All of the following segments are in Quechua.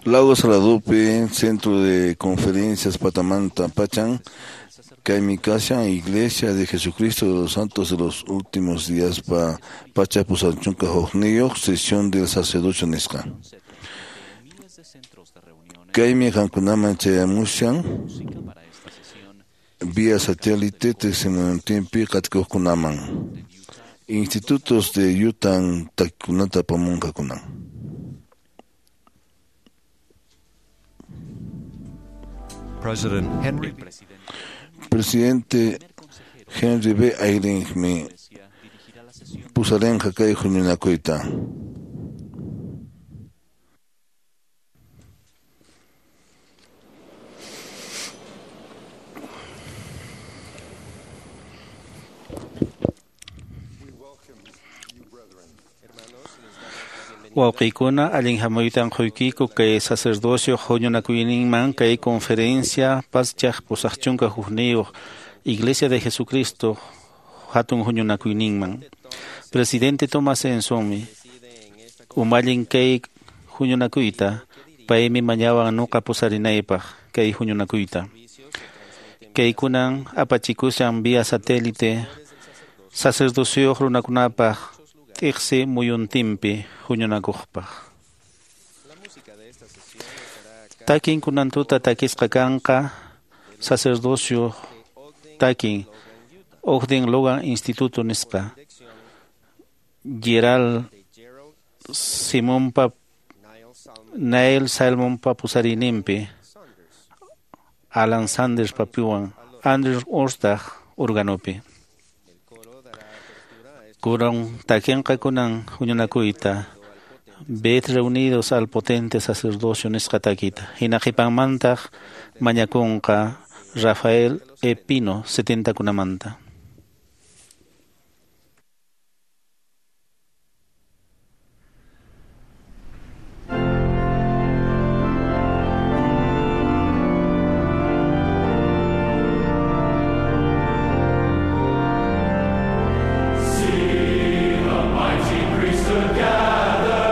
Lago Saladopi, Centro de Conferencias Patamanta Pachan, kaymi kashan Iglesia de Jesucristo de los Santos de los Últimos Días pa pacha pusarchunka hukniyuq sesión del sacerdocio nisqa. Kaymi qamkunaman chayamushan vía satélite tiqsimuyuntinpi qatikuqkunaman. Institutos de Utah takikunata apamunqakuna. President Henry Presidente Henry B. Eyringmi pusarinqa kay huñunakuyta. Wawqiykuna allin hamuytan quykiku kay sacerdocio huñunakuyninman kay conferencia pachaq pusaqchunka hukniyuq Iglesia de Jesucristo hatun huñunakuyninman. Presidente Thomas Ensonmi umallin kay huñunakuyta paymi mañawan nuqa pusarinaypaq kay huñunakuyta. Kaykunan apachikushan vía satélite sacerdocio runakunapaq t'iqsi muyuntinpi huñunakuqpaq. Takin kunan tuta takisqa kanqa sacerdocio takin Ogden Logan Instituto nisqa Gerald Simonpa Neil Salmonpa pusarininpi Alan Sanders papiwan Andrew Orstag organopi. Kuran takinqa kunan huñunakuyta Ved reunidos al potente sacerdocio nisqa takita. Hina qhipanmantaq mañakunqa Rafael E. Pino 70 kunamanta. See the mighty priesthood gather,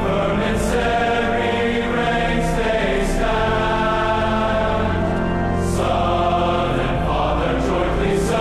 firm in serried ranks they stand. Son and Father jointly.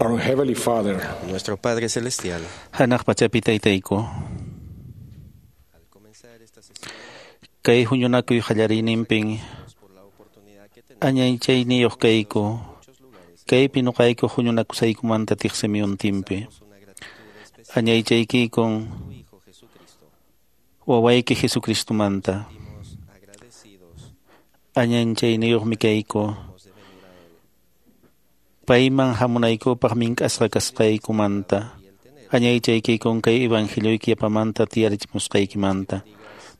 Our Heavenly Father, Nuestro Padre Celestial, Hanaq pachapi taytayku. al comenzar esta sesión, Kay huñunakuy qallariyninpin por la oportunidad que tenemos añaychayniyuq kayku. en muchos lugares, Kaypi nuqayku huñunakusaykumanta tiqsimiyuntinpi. una gratitud especial Añaychaykikun a tu Hijo Jesucristo. wawayki Jesucristomanta. Sentimos agradecidos Añanchayniyuqmi kayku. hemos de venir a Él Payman hamunaykupaq mink'asqa kasqaykumanta. y el tener Añaychaykikun kay evangelioyki yapamanta tiyarichimusqaykimanta.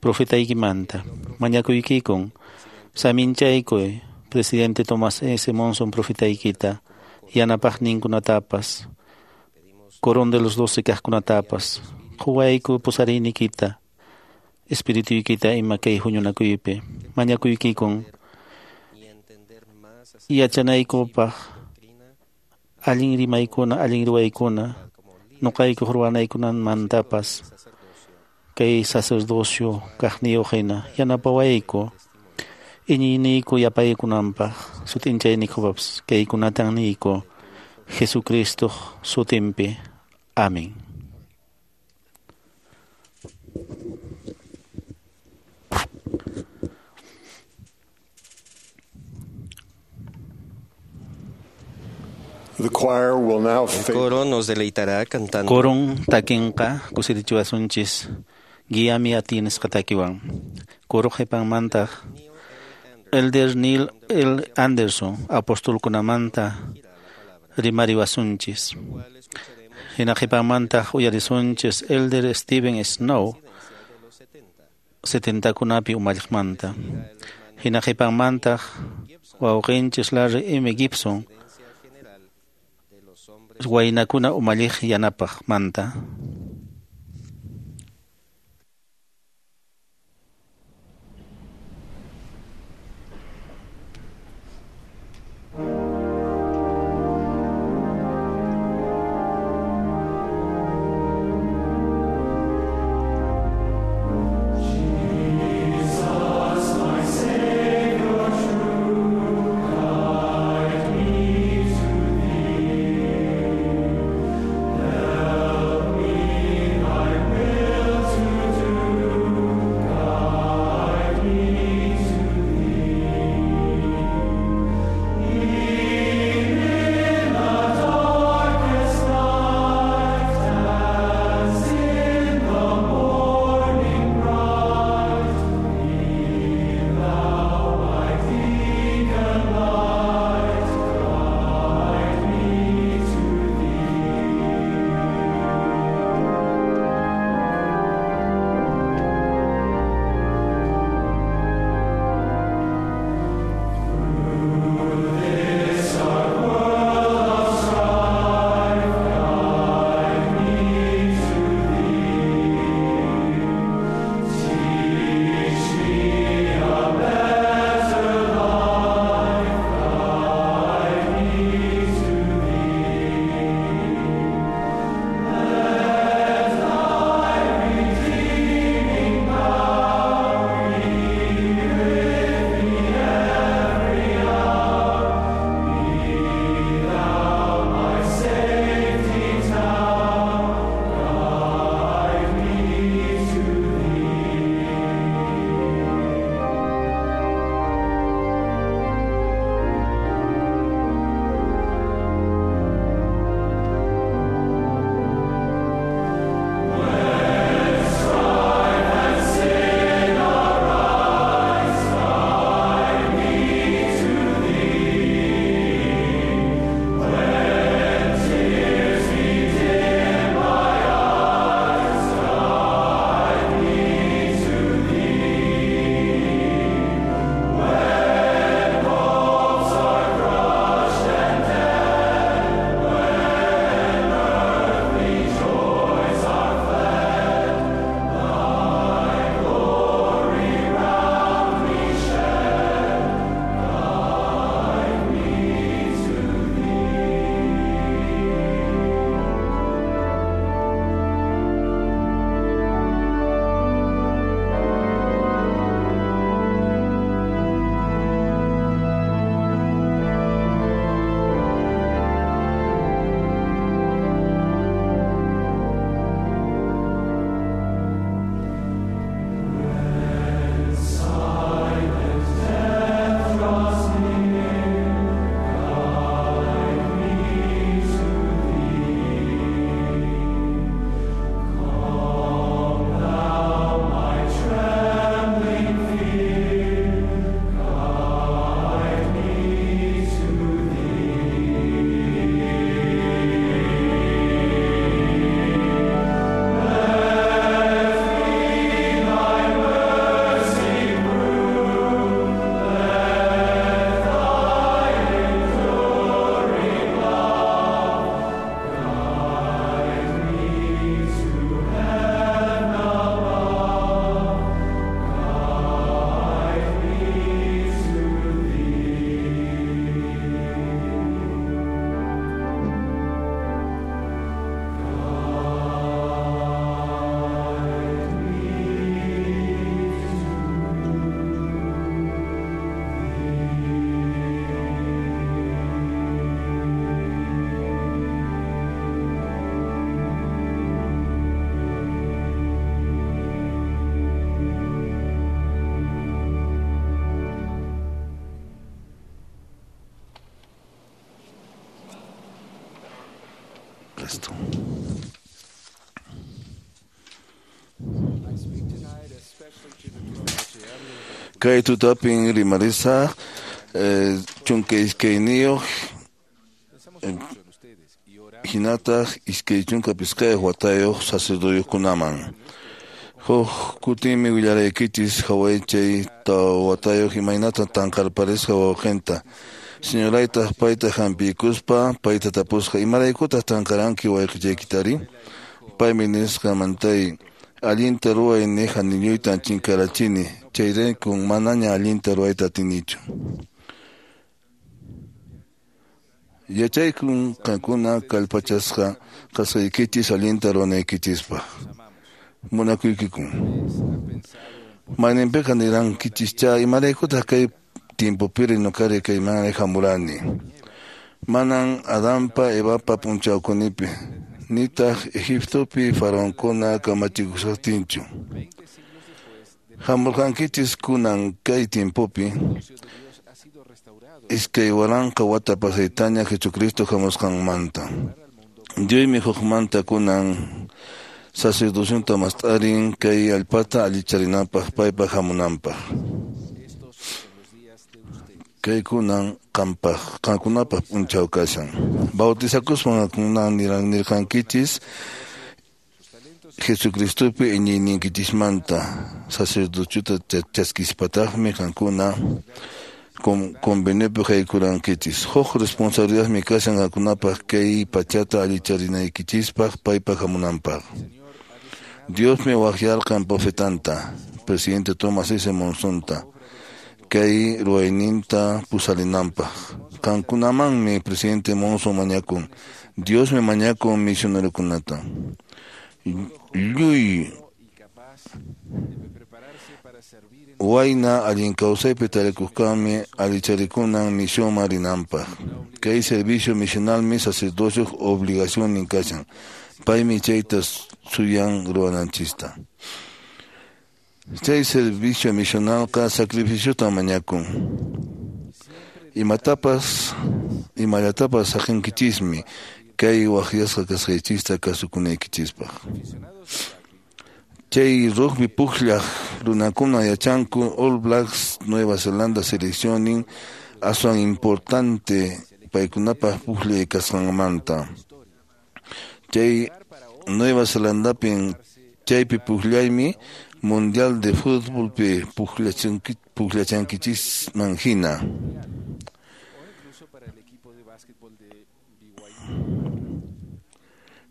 Profetaykimanta. Mañakuykikun. Saminchaykuy. Presidente Tomás S. Monson profetaykita. Yanapaqninkunatapas. Corón de los doce kaqkunatapas. Quwayku pusarinikita. Espirituykita ima kay huñunakuypi. Mañakuykikun. y entender más acerca Yachanaykupaq de la doctrina allin rimaykuna, allin ruwaykuna, como líder nuqaykuq ruwanaykunamantapas del sacerdocio, kay sacerdocio kaqniyuq hina yanapawayku iñiyniyku yapaykunanpaq sut'inchayniykupapas kaykunatan niyku Jesucristoq sutinpi. Amén. the choir will now El faithfully coro nos deleitará cantando Koron takinqa kusirichiwasunchis guiami a ti nisqa takiwan. Koro qhipanmantaq Elder Neil L. Anderson apostolkunamanta rimariwasunchis. cual escucharemos Hina qhipanmantaq uyarisunchis Elder Steven Snow de los 70. setentakunapi umalliqmanta. Hina qhipanmantaq wawqinchis Larry M. Gibson Presidencia General de los Hombres waynakuna umalliq yanapaqmanta. Jesus, my Savior true, guide me to Thee. Help me Kay tutapin rimarisaq 12 hinataq 25 watayuq sacerdotekunaman. Huk kutinmi willaraykichis hawaychay watayuq imaynata tanqarparisqa wawqinta. Señoraytaq payta hampiykuspa payta tapusqa imaraykutaq tanqaranki wayqichaykitari? Paymi nisqa mantay allinta ruway niqa niñuytan chinkarachini chayraykun manaña allinta ruwayta atinichu. Yachaykun qankuna kallpachasqa kasqaykichis allinta ruwanaykichispaq. Munakuykikun. Mayninpiqa nirankichischá imaraykutaq kay tiempopiri ñuqari kaymanri hamurani. Manan Adanpa Evapa p'unchawkunipi nitaq Egiptopi faraonkuna kamachikushaqtinchu. Hamurqankichis kunan kay tiempopi 2000 wata pasaytaña Jesucristo hamusqanmanta. Diosmi hukmanta kunan sacerdocionta mast'arin kay allpata allicharinanpaq paypaq hamunanpaq. Kay kunan qankunapaq p'unchaw kashan. Bautizakuspan kunan nirqankichis Jesucristopi iñiyniykichismanta sacerdociota chaskispataqmi qankuna conveniopi haykurankichis. Huk responsabilidadmi kashan qankunapaq kay pachata allicharinaykichispaq paypaq hamunanpaq. Diosmi waqyarqan profetanta, presidente Thomas S. Monsonta, kay ruwayninta pusarinanpaq. Qankunamanmi presidente Monson mañakun. Diosmi mañakun misionerokunata. Lluy wayna allin kawsaypi tarikuqkanmi allicharikunan misionman rinanpaq. Kay servicio misionalmi sacerdocioq obligacionnin kashan. Paymi chayta suyan ruwananchista. Chay servicio misionalqa sacrificiotan mañakun. Imatapas, imallatapas saqinkichismi kay waqyasqa kasqaychista kasukunaykichispaq. Chay rugby pukllaq runakuna yachanku All Blacks Nueva Zelanda seleccionin aswan importante paykunapaq pukllay kasqanmanta. Chay Nueva Zelandapin chaypi pukllaymi Mundial de Fútbolpi pukllachankichisman hina.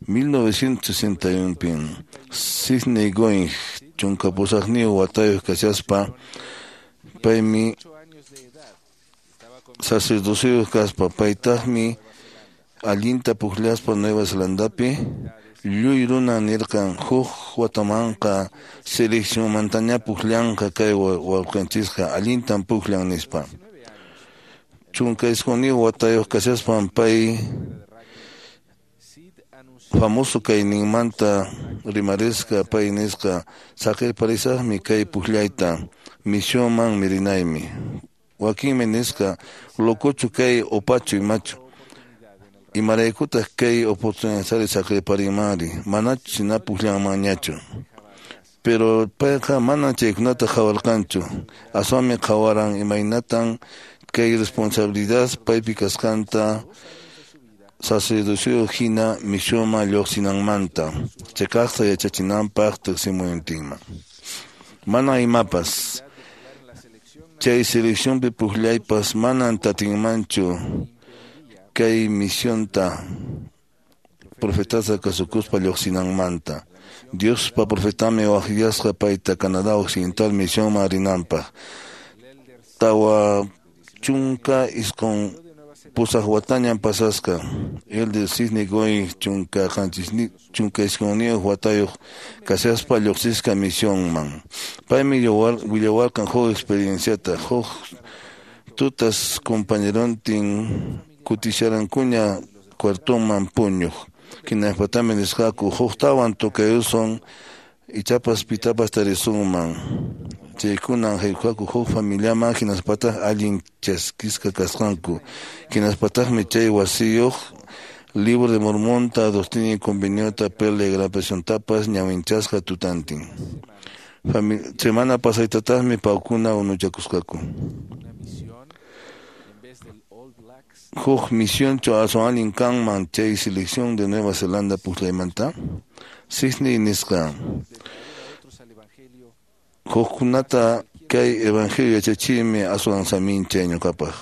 1961pin Sidney Going 18 watayuq kashaspa paymi sacerdocioyuq kaspa paytaqmi allinta pukllaspa Nueva Zelandapi lluy runa nirqan huk watamanqa seleccionmantaña pukllanqa kay wawqinchisqa allintan pukllan nispa. 19 watayuq kashaspan pay famoso kayninmanta rimarisqa pay nisqa saqirparisaqmi kay pukllayta misionman mirinaymi. Wakinmi nisqa locochu kay opachu imachu. Imaraykutaq kay oportunidad saqirparinmanri manachu sina pukllanmanñachu. Pero payqa mana chaykunata qhawarqanchu aswanmi qhawaran imaynatan kay responsabilidad paypi kasqanta sacerdocio hina misionman lluqsinanmanta cheqaqta yachachinanpaq tiqsimuyuntinman. Mana imapas chay seleccionpi pukllaypas manan tatinmanchu kay misionta profetata kasukuspa lluqsinanmanta. Diospa profetami waqyasqa payta Canadá Occidental misionman rinanpaq. 49 watañan pasasqa. Elder Sidney Going 79 watayuq kashaspa lluqsisqa misionman. Paymi willawarqan huk experienciata huk tutas compañerontin kutisharankuña cuartoman puñuq. Hinaspatam nisqaku huktawan tocayusun ichapas pitapas tarisunman. Chaykunan haykuqaku huk familiaman hinaspataq allin chaskisqa kasqanku. Hinaspataqmi chay wasiyuq Libro de Mormonta, Doctrina y Conveniota, Perla y Gran Presión ñawinchasqa tutantin. Semana pasaytataqmi pawkuna unuchakusqaku. Huk misionchu aswan allin kanman chay selección de Nueva Zelanda pukllaymanta? Sidney nisqa hukkunata kay evangelio yachachiymi aswan saminchay ñuqapaq.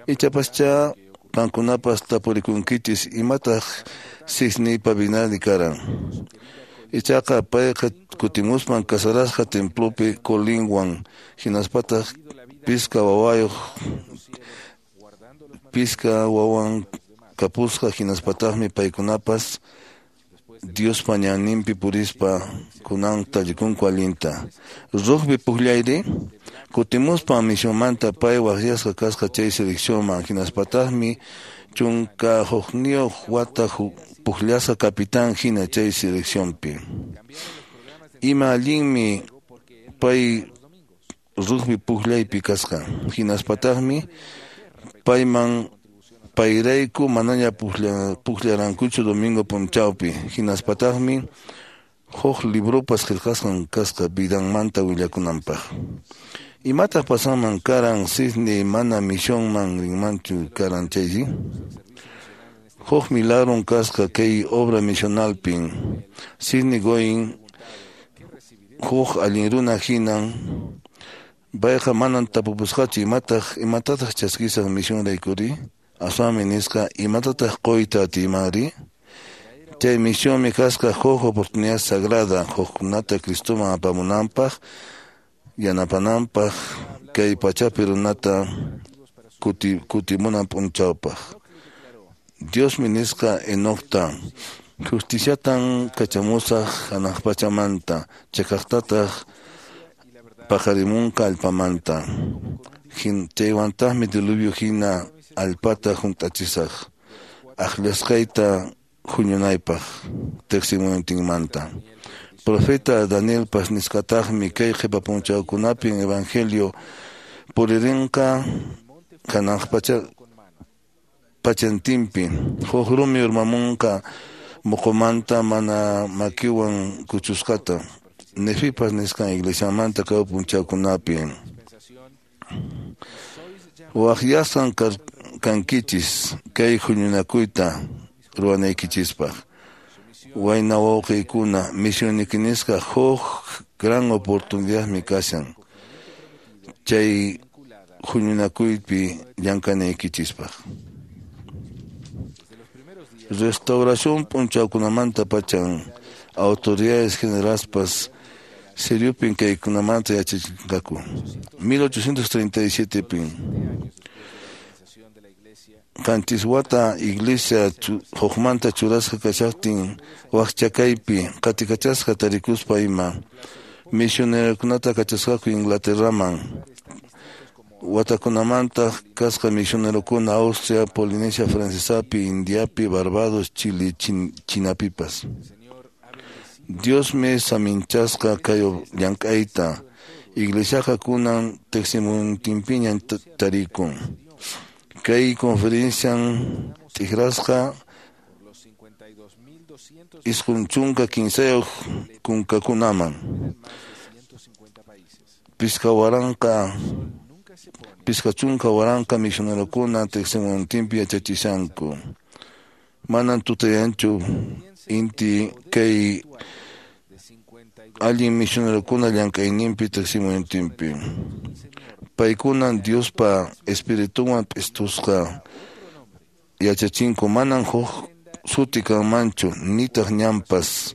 Ichapaschá qankunapas tapurikunkichis imataq Sidneypa vinali karan. Ichaqa payqa kutimuspan casarasqa templopi Colinwan hinaspataq pisqa wawan kapusqa hinaspataqmi paykunapas Diospa ñanninpi purispa kunan tallikunku allinta. Rugby pukllayri kutimuspan misionmanta pay waqyasqa kasqa chay seleccionman hinaspataqmi 11 wata pukllasqa capitán hina chay seleccionpi. Ima allinmi pay rugby pukllaypi kasqa hinaspataqmi payman payrayku manaña pukllarankuchu domingo p'unchawpi hinaspataqmi huk libropas qillqasqan kasqa vidanmanta willakunanpaq. Imataq pasanman karan Sidney mana misionman rinmanchu karan chaysi? Huk milagron kasqa kay obra misionalpin. Sidney Goin huk allin runa hinan payqa manan tapupusqachu imatataq chaskisaq misionraykuri? Aswanmi nisqa imatataq quyta atiymanri? Chay misionmi kasqa huk oportunidad sagrada hukkunata Cristoman apamunanpaq yanapananpaq kay pachapi runata kutimunan p'unchawpaq. Diosmi nisqa Enocta justiciatan kachamusaq hanaq pachamanta chakaqtataq paqarimunqa allpamanta. Chaywantaqmi diluvio hina allpata hunt'achisaq aqllasqayta huñunaypaq tiqsimuyninmanta. Profeta Danielpas nisqataqmi kay qhipa p'unchawkunapin evangelio puririnqa hanaq pachantinpi huk rumi urmamunqa muqumanta mana makiwan kuchusqata. Nefipas nisqan iglesiamanta kay p'unchawkunapi. Waqyasqan kankichis kay huñunakuyta ruwanaykichispaq. Wayna wawqiykuna misionnikinisqa huk gran oportunidadmi kashan chay huñunakuypi llank'anaykichispaq. Restauración p'unchawkunamanta pachan autoridades generaspas seriopin kaykunamanta yachachinqaku. 1837pin 7 wata iglesia hukmanta churasqa kashaqtin waqchakaypi qatikachasqa tarikuspa ima misionerokunata kachasqaku Inglaterraman. Watakunamanta kasqa misionerokuna Austria, Polinesia Francesapi, Indiapi, Barbados, Chile, Chinapipas. Diosmi saminchasqa kay llank'ayta iglesiaqa kunan tiqsimuntinpiñan tarikun. Kay conferencian t'ikrasqa 93 kunkakunaman 50,000 misionerokuna tiqsimuntinpi yachachishanku. Manan tutayanchu inti kay allin misionerokuna llank'ayninpi tiqsimuntinpi. Paykunan Diospa espiritunwan p'istusqa yachachinku manan huk suti kanmanchu nitaq ñanpas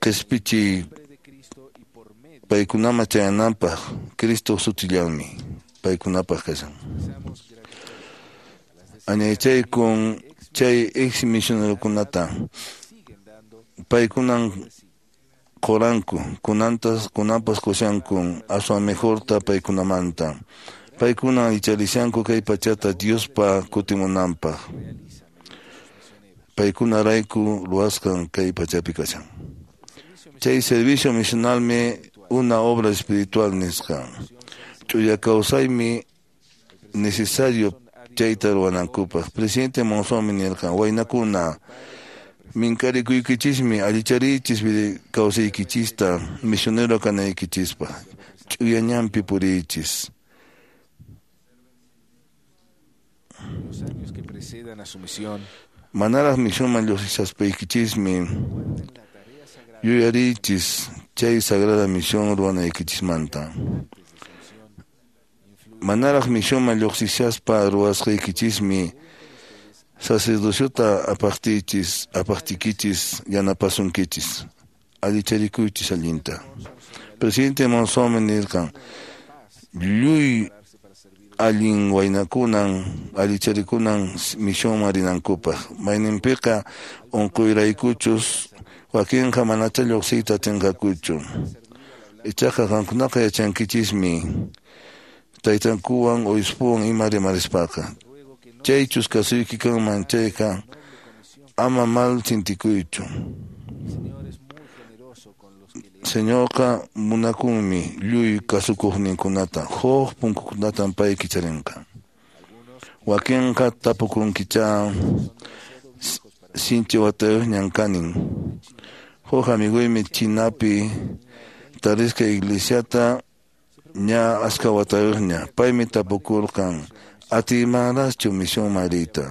qispichiy paykunaman chayananpaq Cristo sutillanmi paykunapaq kashan. Añaychaykun chay ex misionerokunata paykunan qoranku kunanpas qushankun aswan mejorta paykunamanta. Paykunan icharishanku kay pachata Diospa kutimunanpaq. Paykunarayku ruwasqan kay pachapi kashan. Chay servicio misionalmi una obra espiritual nisqa. Ch'uya kawsaymi necesario chayta ruwanankupaq. Presidente Monzónmi nirqan waynakuna Minkarikuykichismi allichariychis kawsaykichista misionero kanaykichispaq. Ch'uya ñanpi puriychis. Los años que precedan a su misión, Manaraq misionman lluqsishaspaykinchismi yuyariychis chay sagrada misión ruwanaykichismanta. Manaraq misionman lluqsishaspa ruwasqaykichismi sacerdociota apaqtiykichis yanapasunkichis. Allicharikuychis allinta. Presidente Monzón nirqan, lluy allin waynakunan allicharikunan misionman rinankupaq. Mayninpiqa unquyraykuchus wakinqa manacha lluqsiyta atinqakuchu. Ichaqa qamkunaqa yachankichismi taytankuwan obispowan ima rimarispaqa. Chaychus kasuyki kanman chayqa ama mal sintikuychu. Señorqa munakunmi lluy kasukuqninkunata, huk punkukunatan pay kicharinqa. Wakinqa tapukunkicha sinchi watayuqñan kanin. Huk amiguymi Chinapi tarisqa iglesiata ña aska watayuqña. Paymi tapukurqan atiymanraqchu misionman riyta.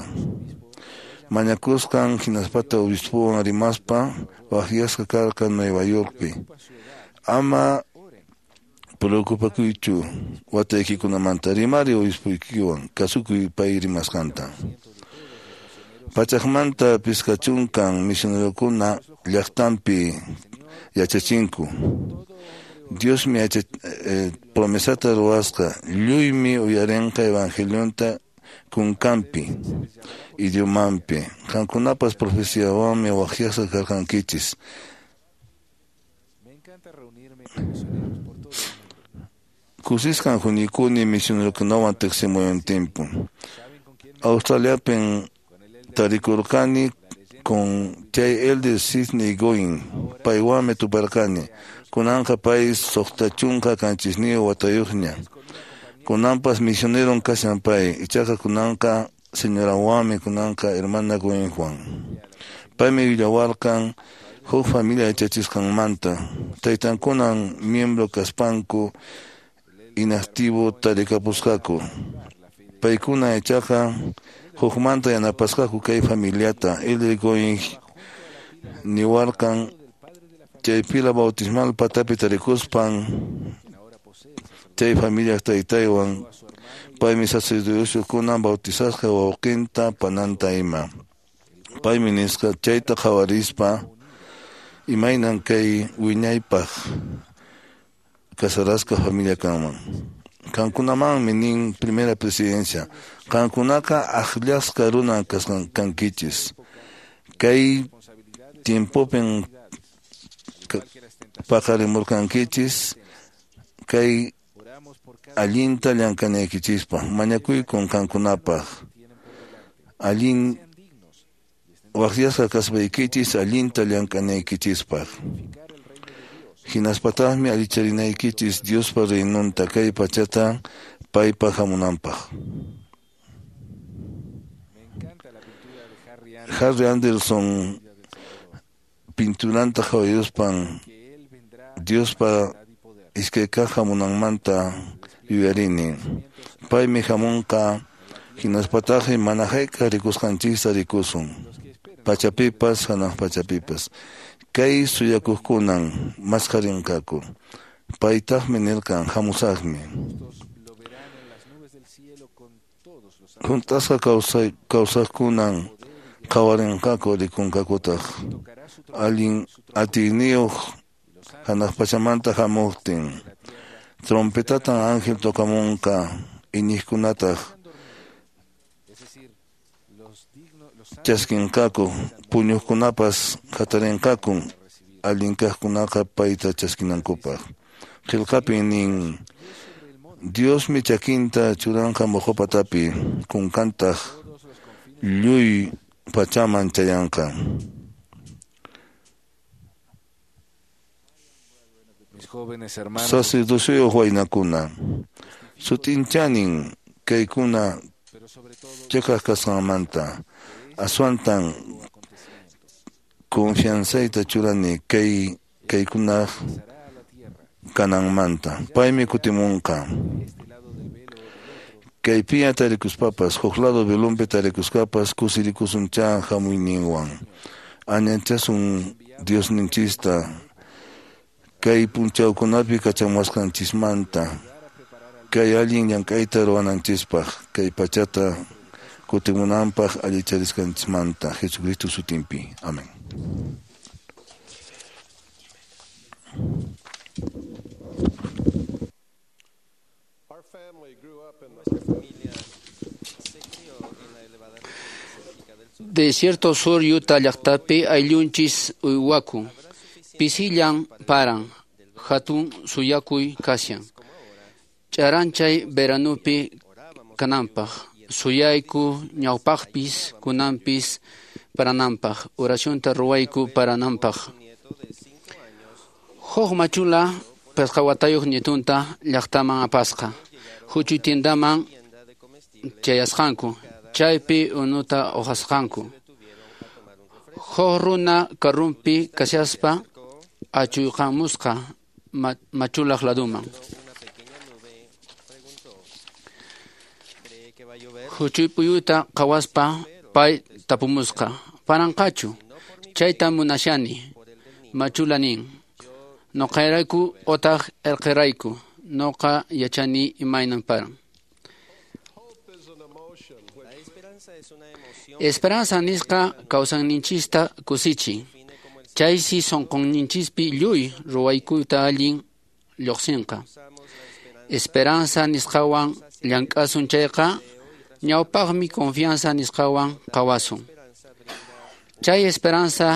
Mañakusqan hinaspata obispowan rimaspa waqyasqa karqan Nueva Yorkpi. Ama preocupakuychu wataykikunamanta, rimari obispuykiwan, kasukuy pay rimasqanta. Pachakmanta 50 misionerokuna llaqtanpi yachachinku. Diosmi promesata ruwasqa, lluymi uyarinqa evangelionta kunkanpi, idiomanpi. Qamkunapas profeciawanmi waqyasqa karqankichis. Me encanta reunirme con misioneros por todo el mundo. Kusisqan huñukuni misionerokunawan tiqsimuyuntinpu. Australiapin tarikurqani con chay elder Sidney Goin, paywanmi tuparqani. Kunanqa pay 69 watayuqña. Kunanpas misioneron kashan pay, ichaqa kunanqa señorawanmi kunanqa hermana Goinwan. Paymi willawarqan huk familia yachachisqanmanta. Taytankunan miembro kaspanku inactivo tarikapusqaku. Paykuna ichaqa hukmanta yanapasqaku kay familiata. Elder Goin niwarqan chay pila bautismal patapi tarikuspan chay familia taytaywan paymi sacerdotiokunan bautizasqa wawqinta pananta ima. Paymi nisqa chayta qhawarispa imaynan kay wiñaypaq casarasqa familia kanman. Qamkunamanmi nin primera presidencia, qamkunaqa akllasqa runan kankichis. Kay tiempopin paqarimurqankichis kay allinta llamk'anaykichispaq. Mañakuykun qamkunapaq allin waqyasqa kaspaykichis allinta llamk'anaykichispaq. Hinaspataqmi allicharinaykichis Diospa reinonta kay pachata paypa hamunanpaq. Me encanta la pintura de Harry Anderson, Harry Anderson pinturanta qhawayuspan que él vendrá Diospa y poder. iskay kaq hamunanmanta yuyarini. Paymi hamunqa hinaspataqmi mana hayk'aq rikusqanchista rikusun. Pachapipas hanaq pachapipas. Kay suyakuqkunan masqarinqaku. Paytaqmi nirqan hamusaqmi. Justos lo verán en las nubes del cielo con todos los ángeles. Hunt'asqa kawsaqkunan qhawarinqaku rikunqakutaq. Tocará su trompeta, Allin atiyniyuq hanaq pachamanta hamuqtin. Trompetatan ángel tocamunqa iñiqkunataq es decir, los dignos, los santos chaskinqaku, puñuqkunapas hatarinqaku allin kaqkunaqa payta chaskinankupaq. Qillqapin nin Diosmi chakinta churanqa moqo patapi, kunkantaq lluy pachaman chayanqa. Mis jóvenes hermanos, Sacerdociyuq waynakuna, sutinchanin kaykuna pero sobre todo chiqaq kasqanmanta, aswantan Confianzayta churani kay kaykunaq kananmanta. Paymi kutimunqa. Kaypiña tarikuspapas, huk lado velonpi tarikuspapas kusirikusunchá hamuyninwan. Añanchasun Diosninchista kay punchawkunapi kachamuwasqanchismanta, kay allin llank'ayta ruwananchispaq, kay pachata kutimunanpaq allicharisqanchismanta, Jesucristo sutinpi. Amén. Desierto Sur Utah llaqtapi ayllunchis uywakun. Pisillan paran, hatun suyakuy kashan. Ch'aranchay veranupi kananpaq, suyayku ñawpaqpis kunanpis parananpaq, oracionta ruwayku parananpaq. Huk machula pisqa watayuq nietunta llaqtaman apasqa. Huchuy tiendaman chayasqanku, chaypi unuta uqasqanku. Huk runa karrunpi kashaspa achuyqamusqa machulaq laduman. Huchuy puyuta qhawaspa pay tapumusqa: ¿Paranqachu? Chayta munashani. Machula nin: Nuqayrayku otaq irqirayku. Nuqa yachani imaynan paran. Esperanza nisqa kawsayninchista kusichin. Chaysi sunqunninchispi lluy ruwaykuyta allin lluqsinqa. Esperanza nisqawan llank'asun chayqa, ñawpaqmi confianza nisqawan qhawasun. Chay esperanza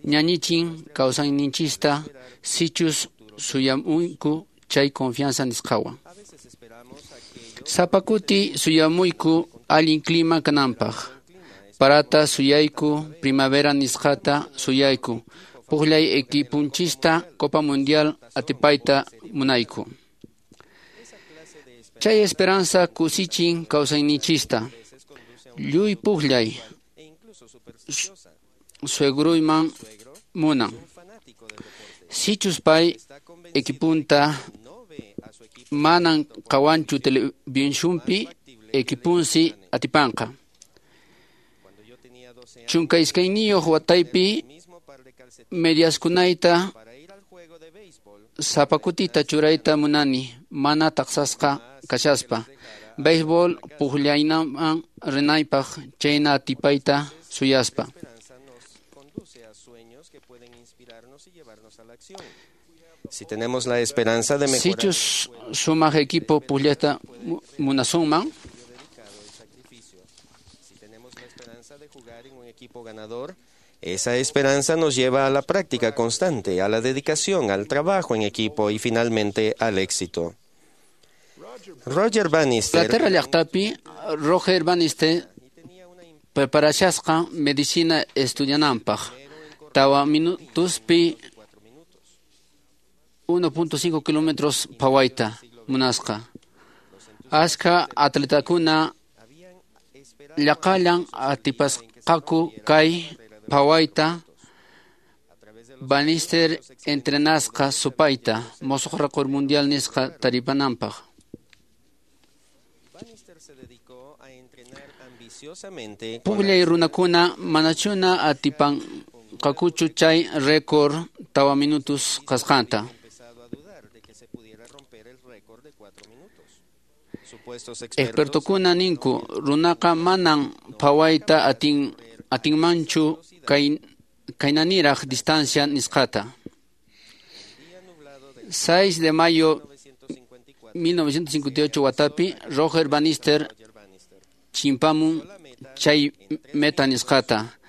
ñañichin kawsayninchista sichus suyamuyku chay confianza nisqawan. Sapa kuti suyamuyku allin clima kananpaq. Parata suyayku, primavera nisqata suyayku, pukllay equipunchista Copa Mundial atipayta munayku. Chay esperanza kusichin kawsayninchista. Lluy pukllay suegruyman munan. Sichus pay equipunta manan qhawanchu televisionpi, equipunsi atipanqa. 12 wataypi mediaskunayta sapa kutita churayta munani mana taqsasqa kashaspa. Béisbol pukllaynaman rinaypaq chayna atipayta suyaspa. Si tenemos la esperanza de mejorar, Sichus sumaq equipo pukllayta munasunman, si tenemos la esperanza de jugar en un equipo ganador, esa esperanza nos lleva a la práctica constante, a la dedicación, al trabajo en equipo y finalmente al éxito. Roger Bannister, Inglaterra llaqtapi Roger Bannister preparashasqa medicina estudiananpaq. Tawa minutuspi 1.5 kilómetros phawayta munasqa. Askha atletakuna llaqallan atipasqaku kay phawayta. Bannister entrenasqa supayta musuq récord mundial nisqa taripananpaq. Bannister se dedicó a entrenar ambiciosamente con Pukllay runakuna manachuna atipanqakuchu chay récord tawa minutos kasqanta. empezado a dudar de que se pudiera romper el récord de 4 minutos. Supuestos expertos Expertokuna ninku runaqa manan phawayta atinmanchu kaynaniraq distancia nisqata. 6 de mayo 1958 watapi Roger Bannister chimpamun chay meta nisqata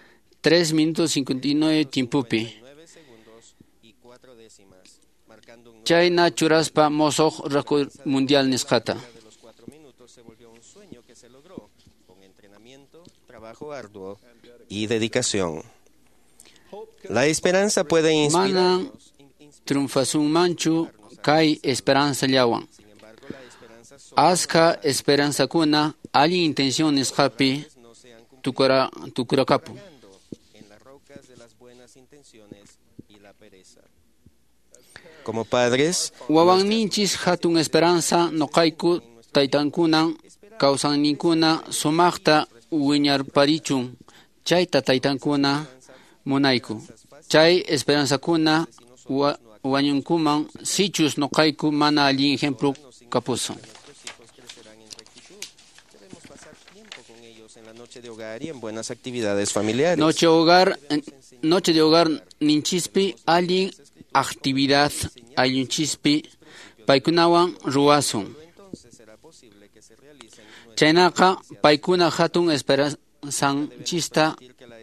3 minutos 59 tiempopi. 9 segundos y 4 décimas, marcando un Chayna churaspa mosoq récord mundial nisqata. de los 4 minutos se volvió un sueño que se logró con entrenamiento, trabajo arduo y dedicación. La esperanza puede Manan inspirarnos. triunfasunmanchu kay esperanzallawan. Sin embargo, la esperanza sola Askha esperanzakuna allin intención nisqapi no se han cumplido tukurakapun. en las rocas de las buenas Como padres, Wawanninchis hatun esperanza noqayku taytankunan kawsayninkuna sumaqta wiñarparichun chayta taytankuna munayku. Chay esperanzakuna wañunkuman sichus noqayku mana allin ejemplo kapusun. En la noche de hogar y en buenas actividades familiares. Noche de hogar ninchispi allin actividad ayunchispi paykunawan ruwasun. Chaynaqa paykuna hatun esperanzanchista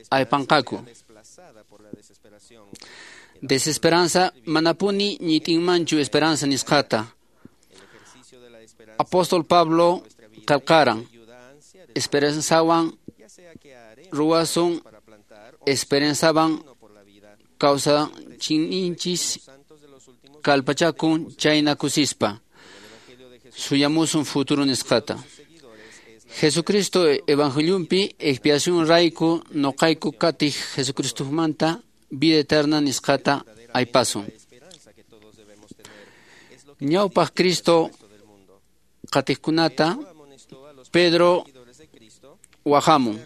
aypanqaku. Desesperanza manapuni ñitinmanchu esperanza nisqata. Apóstol Pablo qillqaran esperanzawan ruwasun esperanzawan kawsayninchis kallpachakun chayna kusispa suyamusun futuro nisqata. Jesucristo evangeliumpi expiación rayku noqayku qatiq Jesucristomanta vida eterna nisqata aypasun. Ñawpaq Cristo qatiqkunata Pedro wahamun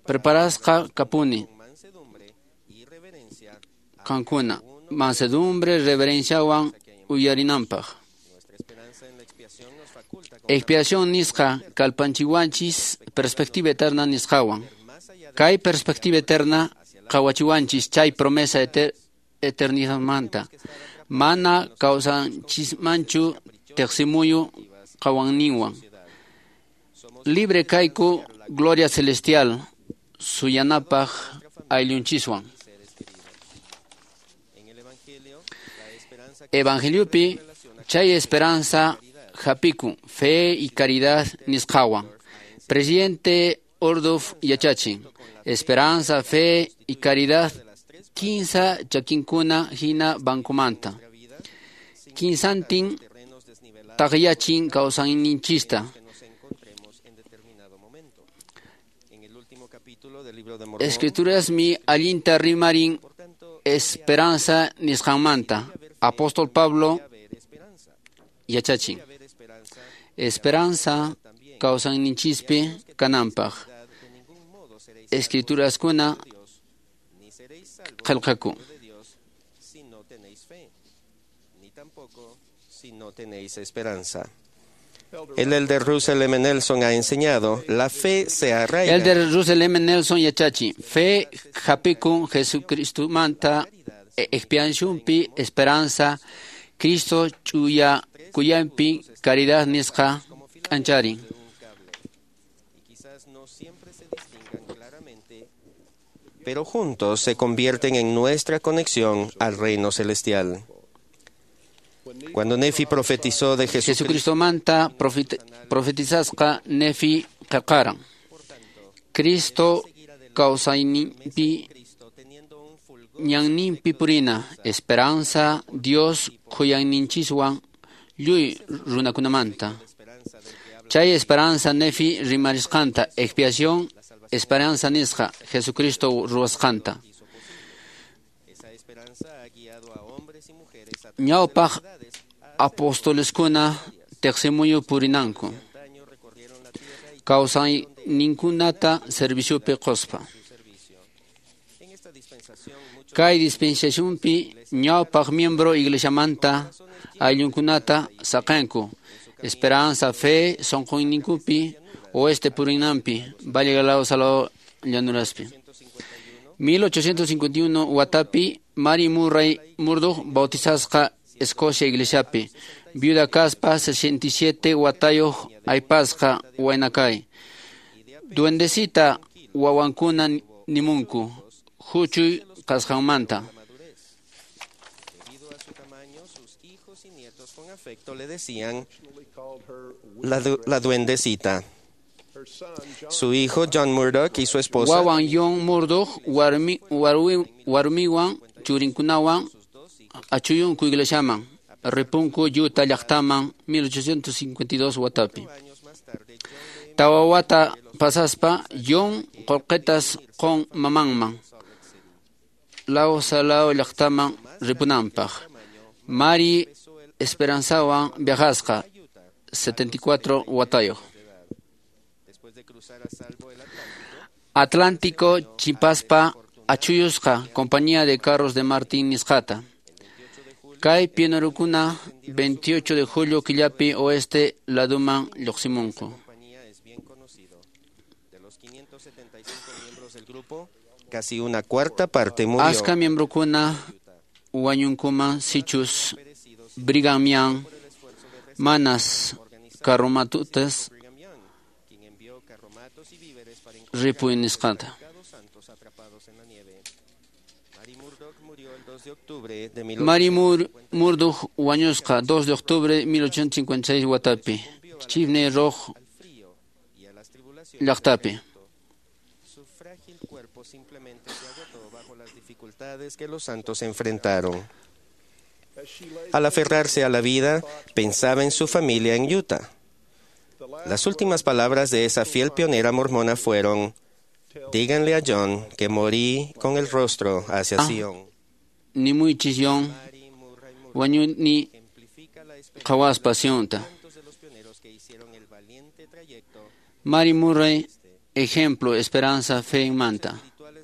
preparasqa kapuni qankuna mansedumbre reverenciawan uyarinanpaq. Expiación nisqa kallpanchiwanchis perspectiva eterna nisqawan. Kay perspectiva eterna qawachiwanchis chay promesa eternidadmanta. Mana kawsanchismanchu teqsimuyu qawanninwan. Libre kayku gloria celestial suyanapaq ayllunchiswan. Evangeliupi chay esperanza hapikun fe y caridad nisqawan. Presidente Orduf yachachin esperanza, fe y caridad kinsa chakinkuna hina bancomanta. Kinsantin taqyachin kawsayninchista. Escrituras mi allinta rimarin esperanza nisqanmanta. Apóstol Pablo yachachin esperanza kawsayninchispi kananpaq. Escrituraskuna qillqaku. Si no tenéis esperanza. El elder Russell M. Nelson ha enseñado, la fe se arraiga. Elder Russell M. Nelson yachachi, fe hapikun Jesucristo manta expiación-pi esperanza, Cristo chuya kuyampi caridad nisqa k'ancharin. Pero juntos se convierten en nuestra conexión al reino celestial. Cuando Nefi profetizó de Jesucristo manta profetizasqa Nefi qillqaran. Cristo kawsayninpi ñanninpi purina esperanza Dios khuyayninchiswan lluy runakunamanta. Chay esperanza Nefi rimarisqanta expiación esperanza nisqa Jesucristo ruwasqanta. Ñawpaq apostoleskuna teqsimuyu purinanku kawsayninkunata serviciopi quspa. Kay dispensacionpi ñawpaq miembro iglesiamanta ayllunkunata saqanku esperanza, fe sunquyninkupi oeste purinanpi Valle Galado Salado llanuraspi. 1851 watapi Mary Murray Murdoch bautizasqa Escocia iglesiapi. Viuda kaspa 67 watayuq aypasqa waynakay. Duendecita wawankuna nimunku huchuy kasqanmanta. Afecto le decían la duendecita. Su hijo John Murdoch y su esposa Wawan John Murdoch warmiwan churinkunawan achuyunku iglesiaman ripunku Utah llaqtaman 1852 watapi. Tawa wata pasaspa John qullqitas qun mamanman. Lao Salao llaqtaman ripunanpaq. Mari Esperanzawan viajasqa 74 watayuq. Atlántico chimpaspa achuyusqa compañía de carros de Martín nisqata. Kay pionerukuna 28 de julio killapi oeste laduman lluqsimunku. Casi una cuarta parte murió. Aska miembrokuna wañunkuman sichus Brigham Young manas carromatutas ripuy nisqata. Mary Murdoch wañusqa 2 de octubre de 1856 watapi Chimney Rock llaqtapi. Su frágil cuerpo simplemente se agotó bajo las dificultades que los santos enfrentaron. Al aferrarse a la vida, pensaba en su familia en Utah. Las últimas palabras de esa fiel pionera mormona fueron: díganle a John que morí con el rostro hacia Sion. Ni muy chillón, wañuni qhawaspa Sionta. Mary Murray, ejemplo, esperanza, fe en manta.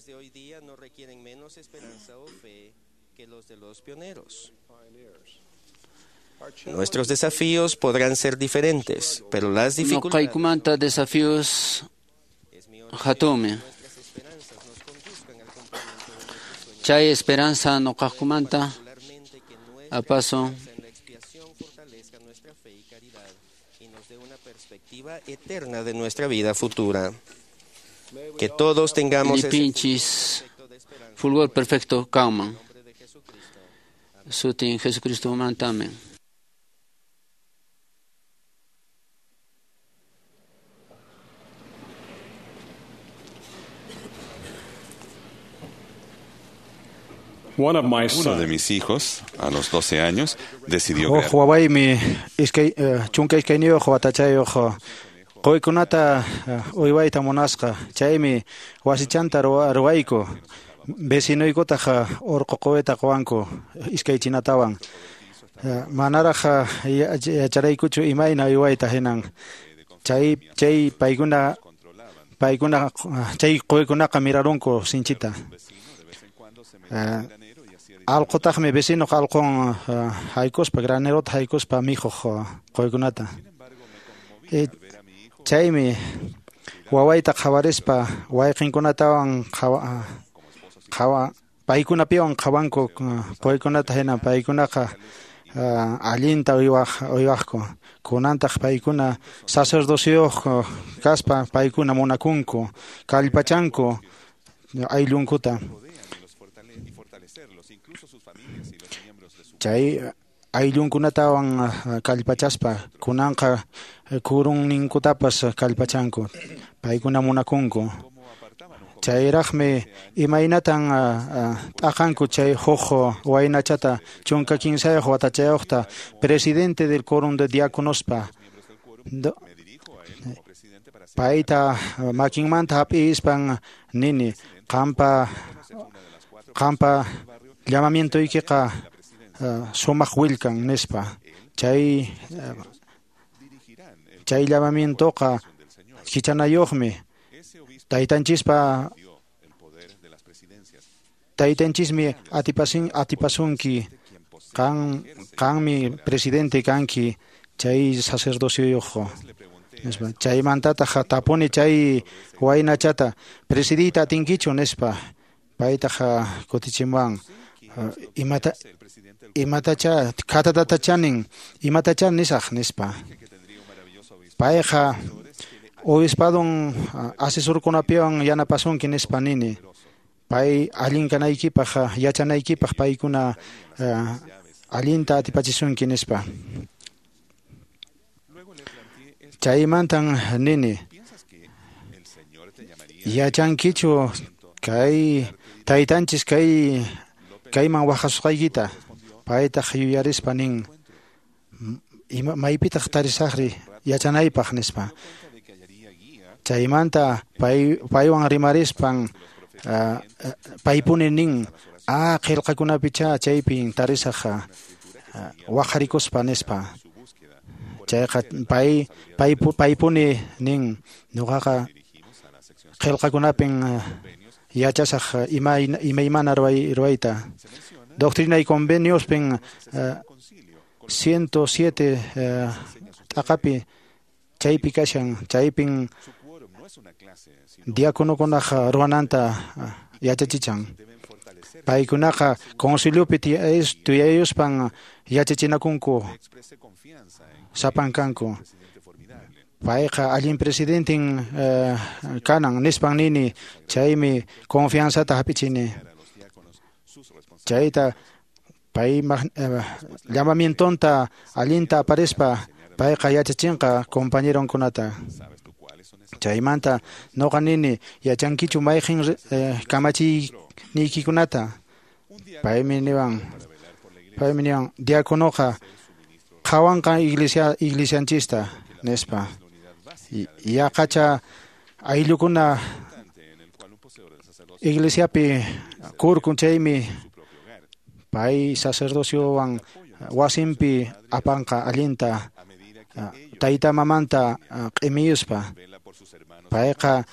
De hoy día no requieren menos esperanza o fe que los de los pioneros. Nuestros desafíos podrán ser diferentes, pero las dificultades Noqaykumanta desafíos hatunmi. Chay esperanza noqaqkumanta apaso perspectiva eterna de nuestra vida futura. Que todos tengamos ese lipinchis fulgor perfecto kanman. Sutin Jesucristo manta amén. One of my Uno de mis hijos, a los 12 años, decidió crear Huk wawaymi iskay chunka iskayniyuq watachayuq quykunata uywayta munasqa. Chaymi wasichanta ruwayku. Vecinoykutaq urqu quwita quwanku iskay chinatawan. Manaraq yacharaykuchu imayna uywayta hinan. Chay paykuna chay quykunaqa mirarunku sinchita. Allqutaqmi vecinoq allqun haykuspa granerota haykuspa mikhuq quykunata. Chaymi wawayta qhawarispa wayqinkunatawan paykunapiwan qhawanku quykunata hina paykunaqa allinta uywaqku. Kunantaq paykuna sacerdocioyuq kaspa paykuna munakunku, kallpachanku ayllunkuta. Chay ayllunkunatawan kallpachaspa kunanqa kurunninkutapas kallpachanku, paykuna munakunku. Chayraqmi imaynatan t'aqanku chay huk waynachata 13 watachayuqta presidente del quórum de diáconospa. Payta makinmanta hap'ispan nini qampa llamamientoykiqa sumaq willkan nispa. Chay llamamientoqa kichanayuqmi. Taytanchismi atipasunki qanmi presidente kanki chay sacerdocioyuq nispa. Chaymantataq tapuni chay waynachata presidiyta atinkichu nispa. Paytaq kutichimuwan imatacha khatatatachanin imatacha nisaq nispa. Payqa obispadon asesorkunapiwan yanapasunki nispa nini. Pay allin kanaykipaq yachanaykipaq paykuna allinta atipachisunki nispa. Chaymantan nini yachankichu kay taytanchis kayman waqhasusqaykita. Paytaq yuyarispa nin maypitaq tarisaqri yachanaypaq nispa. Chaymanta paywan rimarispan paypuni nin A qillqakunapicha chaypin tarisaq waqarikuspa nispa. Chayqa paypuni nin ñuqaqa qillqakunapin yachasaq imaymana ruwayta. Doctrina y Conveniospin 107 t'aqapi chaypi kashan, chaypin diakonokunaq ruwananta yachachichan. Paykunaqa conciliopi tiyayuspan yachachinakunku sapankanku. Payqa allin presidentin kanan nispan nini, chaymi confianzata hap'ichini. Chayta pay llamamientonta allinta aparispa payqa yachachinqa compañeronkunata. Chaymanta noqa nini yachankichu mayqin kamachiyniykikunata. Paymi niwan diakonoqa qhawanqa iglesianchista nispa. Yaqacha ayllukuna iglesiapi kurkun chaymi pay sacerdociowan wasinpi apanqa allinta tayta mamanta q'imiyuspa. Payqa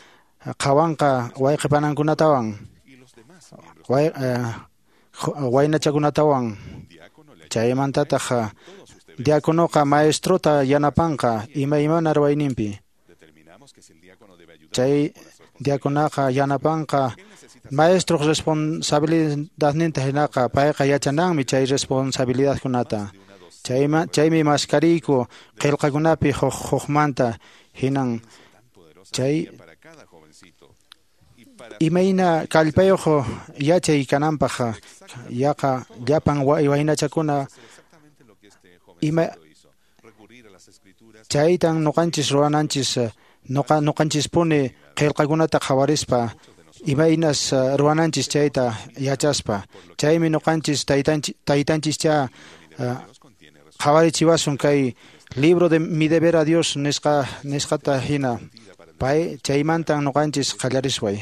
qhawanqa wayqipanankunatawan waynachakunatawan. Chaymantataq diakonoqa maestrota yanapanqa imaymana ruwayninpi. Chay diakonaqa yanapanqa maestroq responsabilidadninta hinaqa payqa yachananmi chay responsabilidadkunata. Chaymi maskariyku qillqakunapi hukmanta hinan chay imayna kallpayuq yachay kananpaq yaqa llapan waynachakuna ima chaytan ñuqanchis ruwananchis ñuqanchispuni qillqakunata qhawarispa imaynas ruwananchis chayta yachaspa. Chaymi ñuqanchis taytanchischa qhawarichiwasun kay libro de mi deber a Dios nisqata hina. Pay chaymantan ñuqanchis qallarisway.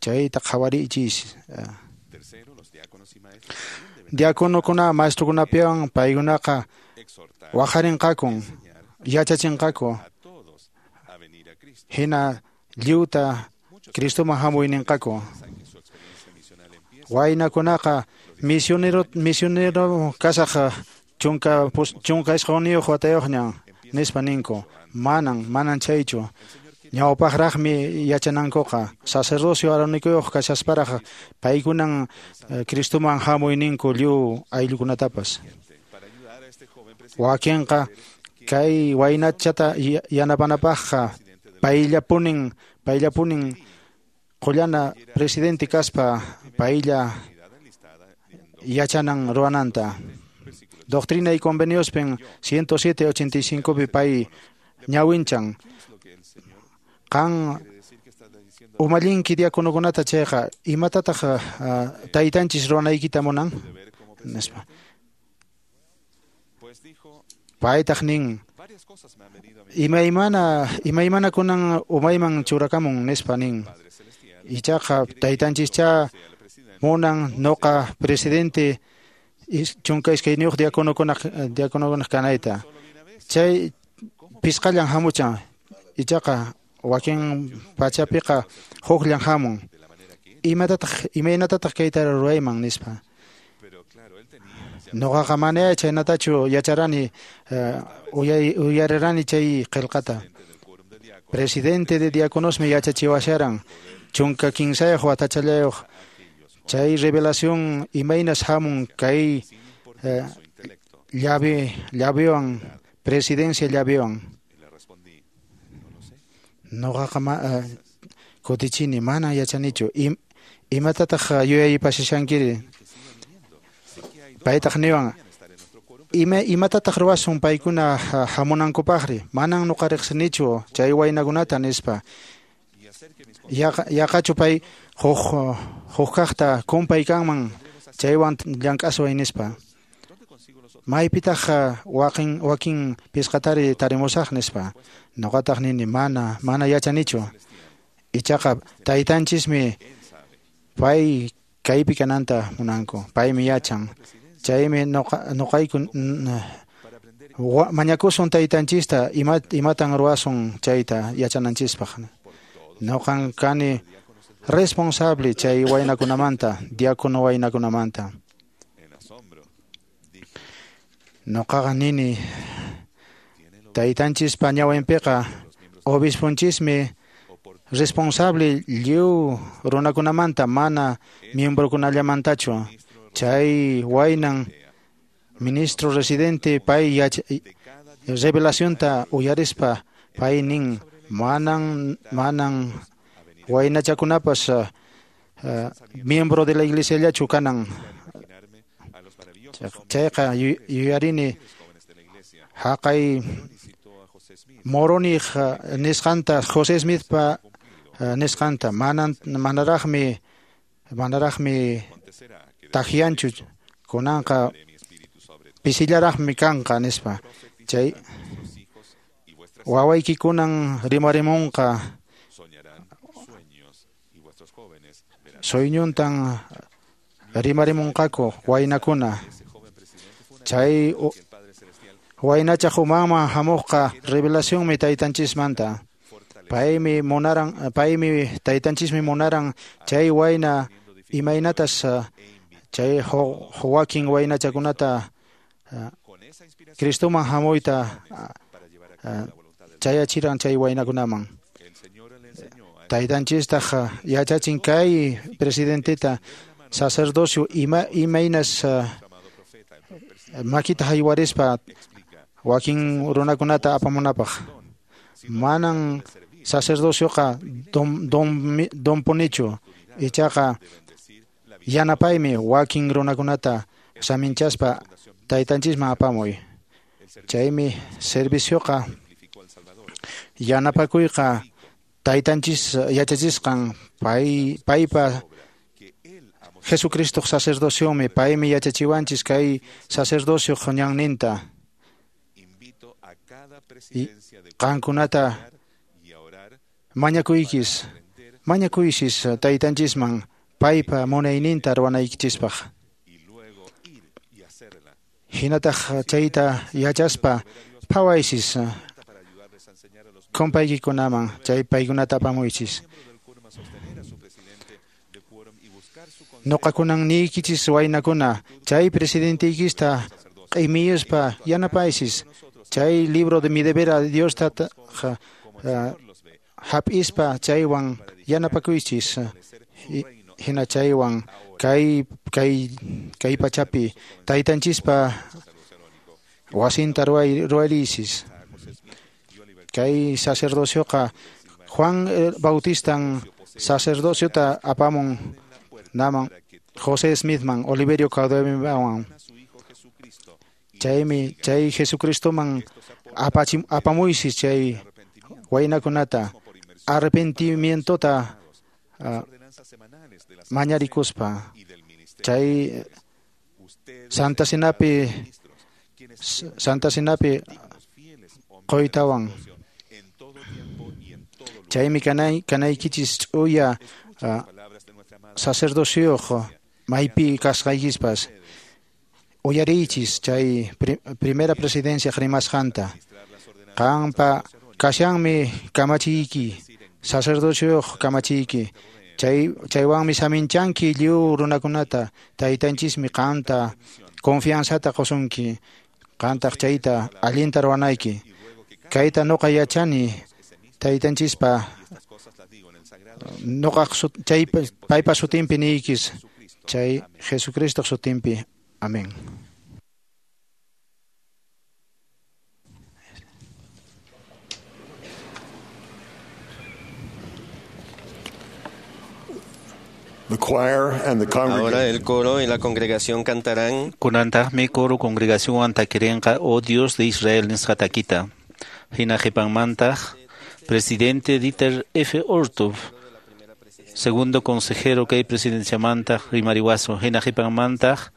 Chayta qhawarichis. Diakonokuna maestrokunapiwan paykunaqa waqarinqakun yachachinqaku hina lliwta Cristoman hamuyninqaku. Waynakunaqa misionero kasaq 19 watayuqñan nispa ninku. Manan chaychu. Ñawpaqraqmi yachanankuqa sacerdocio aronikuyuq kashasparaq paykunan Cristoman hamuyninku lliw ayllukunatapas. Wakinqa kay waynachata yanapanapaqqa payllapunin qullana presidente kaspa paylla yachanan ruwananta. Doctrina y Conveniospin 107.85 pi pay ñawinchan. Qan umallinki diakonokunata chayqa imatataq taytanchis ruwanaykita munan nispa. Paytaq nin imaymana kunan umayman churakamun nispa nin. Ichaqa taytanchischa munan noqa presidente 12 diakonokunaq kanayta. Chay pisqallan hamuchan ichaqa wakin pachapiqa hukllan hamun. Imaynatataq kayta ruwayman nispa. Noqaqa mana chaynatachu yacharani uyarirani chay qillqata. Presidente de diakonosmi yachachiwasharan 13 watachallayuq. Chay revelación imaynas hamun kay llavewan presidencia llavewan. Noqaqa kutichini mana yachanichu. Imatataq yuyaypashankiri. Paytaq niwan imatataq ruwasun paykuna hamunankupaqri. Manan nuqa riqsinichu chay waynakunata nispa. Yaqachu pay huk kaqta kumpay kanman chaywan llank'asway nispa. Maypitaq wakin pisqatari tarimusaq nispa. Nuqataq nini mana yachanichu. Ichaqa taytanchismi pay Kaypi kananta munanku. Paymi yachan. Chaymi noqayku mañakusun taytanchista imatan ruwasun chayta yachananchispaq. Noqan kani responsable chay waynakunamanta, diácono waynakunamanta. Noqaqa nini taytanchispa ñawinpiqa obispunchismi responsable lliw runakunamanta, mana miembrokunallamantachu. Chay waynan ministro residente pay revelacionta uyarispa pay nin manan waynachakunapas miembro de la iglesiallachu kanan. Chayqa yuyarini haqay Moroni nisqanta, José Smithpa nisqanta, manaraqmi tajianchu kunanqa pisillaraqmi kanqa nispa. Chay wawaykikunan rimarimunqa suyñuntan rimarimunqaku waynakuna. Chay waynachaq umanman hamuqqa revelacionmi taytanchismanta. Paymi taytanchismi munaran chay wayna imaynatas chay wakin waynachakunata Cristoman hamuyta chayachiran chay waynakunaman. Taytanchistaq yachachin kay presidenteta sacerdocio imaynas makita haywarispa wakin runakunata apamunapaq. Manan sacerdocioqa donpunichu, ichaqa yanapaymi wakin runakunata saminchaspa taytanchisman apamuy. Chaymi servicioqa yanapakuyqa taytanchis yachachisqan paypa Jesucristo sacerdociomi, paymi yachachiwanchis kay sacerdocio ñanninta. Qankunata mañakuychis taytanchisman paypa munayninta ruwanaykichispaq. Hinataq chayta yachaspa phawaychis kumpaykikunaman, chay paykunata apamuychis. Noqakunan niykichis waynakuna, chay presidenteykista q'imiyuspa yanapaychis. Chay libro de mi deber a Diosta hap'ispa chaywan yanapakuychis. Hina chaywan kay pachapi taytanchispa wasinta ruwariychis. Kay sacerdocioqa Juan Bautistan sacerdociota apamun naman José Smithman, Oliverio Cowderyman. Chaymi chay Jesucristoman apamuychis chay waynakunata arrepentimientota mañarikuspa. Chay Santa Cenapi qoytawan. Chaymi kanaykichis ch'uya sacerdocioq maypi kasqaykispas. Uyariychis chay primera presidencia rimasqanta. Qanpa kashanmi kamachiyki, sacerdocioq kamachiyki. Chaywanmi saminchanki lliw runakunata, taytanchismi qanta confianzata qusunki, qantaq chayta allinta ruwanayki. Kayta noqa yachani taytanchispa noqaq chay paypa sutinpi niykis, chay Jesucristoq sutinpi. Amén. The choir and the congregation. Ahora el coro y la congregación cantarán. Kunantaqmi coro congregación takirinqa, oh Dios de Israel nisqa takita. Hina qhipanmantaq presidente Dieter F. Uchtdorf, segundo consejero kay presidenciamantaq rimariwasun. Hina qhipanmantaq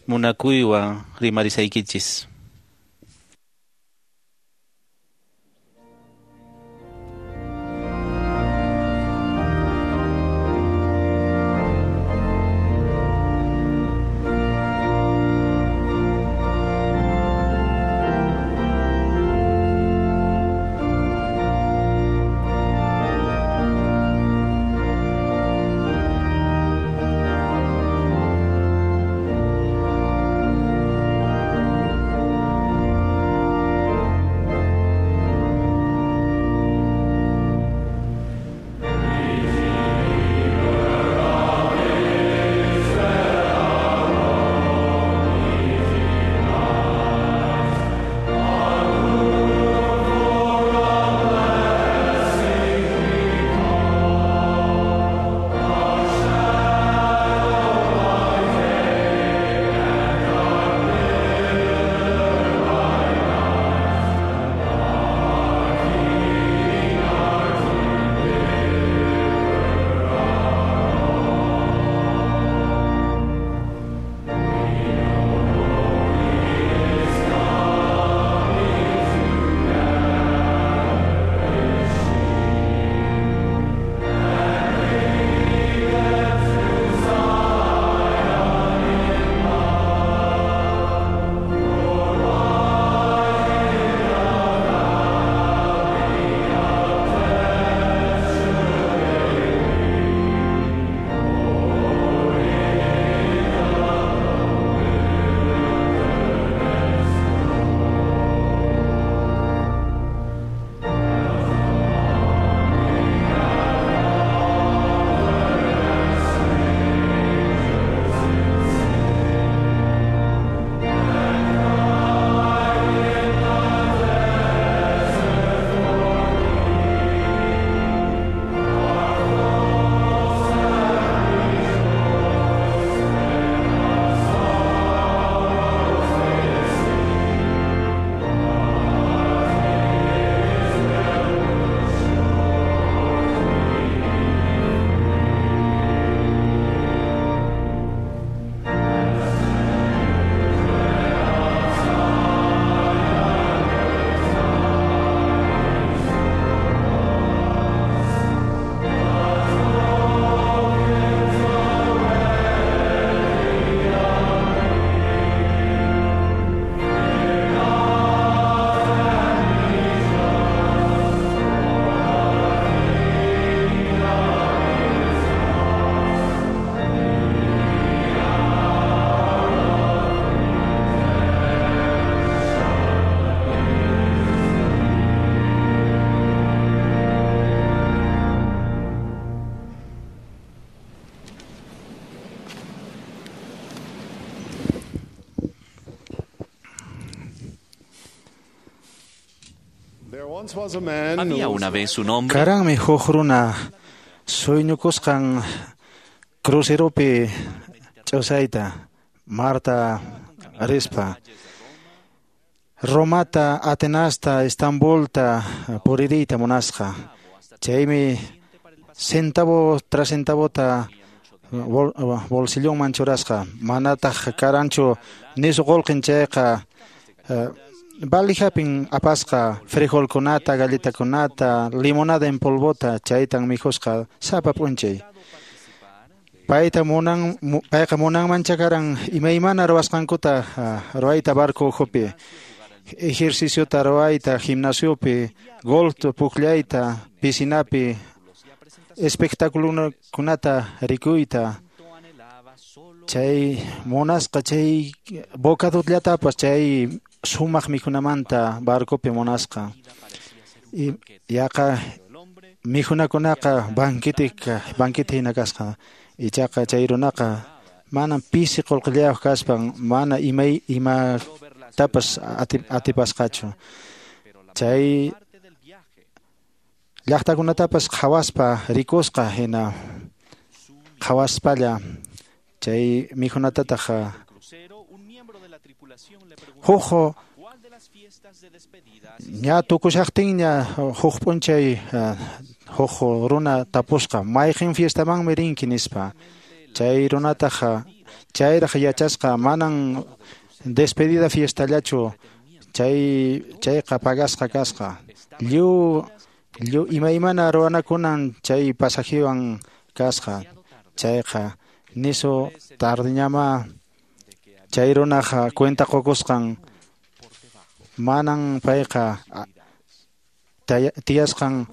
munakuywan rimarisaykichis. Había una vez un hombre. Karanmi huk runa suyñukusqan cruceropi ch'usayta Marta rispa Romata, Atenasta, Estambulta puririyta munasqa. Chaymi centavo tras centavota bolsillonman churasqa. Manataq karanchu nisu qullqin chayqa balijapin apasqa frijolkunata, galletakunata, limonada en polvota, chaytan mikhusqa sapa p'unchay. Payta munan, payqa munanman chakaran imaymana ruwasqankuta ruwayta barco ukhupi. Ejerciciota ruwayta gimnasiopi, golf pukllayta, piscinapi, espectáculokunata rikuyta. Chay munasqa chay bocadotllatapas chay sumaq mikhunamanta barcopi munasqa. Y yaqa mikhunakunaqa banquete hina kasqa. Ichaqa chay runaqa mana pisi qullqillayuq kaspan mana imatapas atipasqachu. Chay llaqtakunatapas qhawaspa rikusqa hina qhawaspalla chay mikhunatataq huk ña tukushaqtinña huk p'unchay huk runa tapusqa mayqin fiestamanmi rinki nispa. Chay runataq chayraq yachasqa manan despedida fiestallachu chayqa pagasqa kasqa. Lliw imaymana ruwanakunan chay pasajewan kasqa. Chayqa nisu tardiñama chay runaqa cuenta qukusqan manan payqa tiyasqan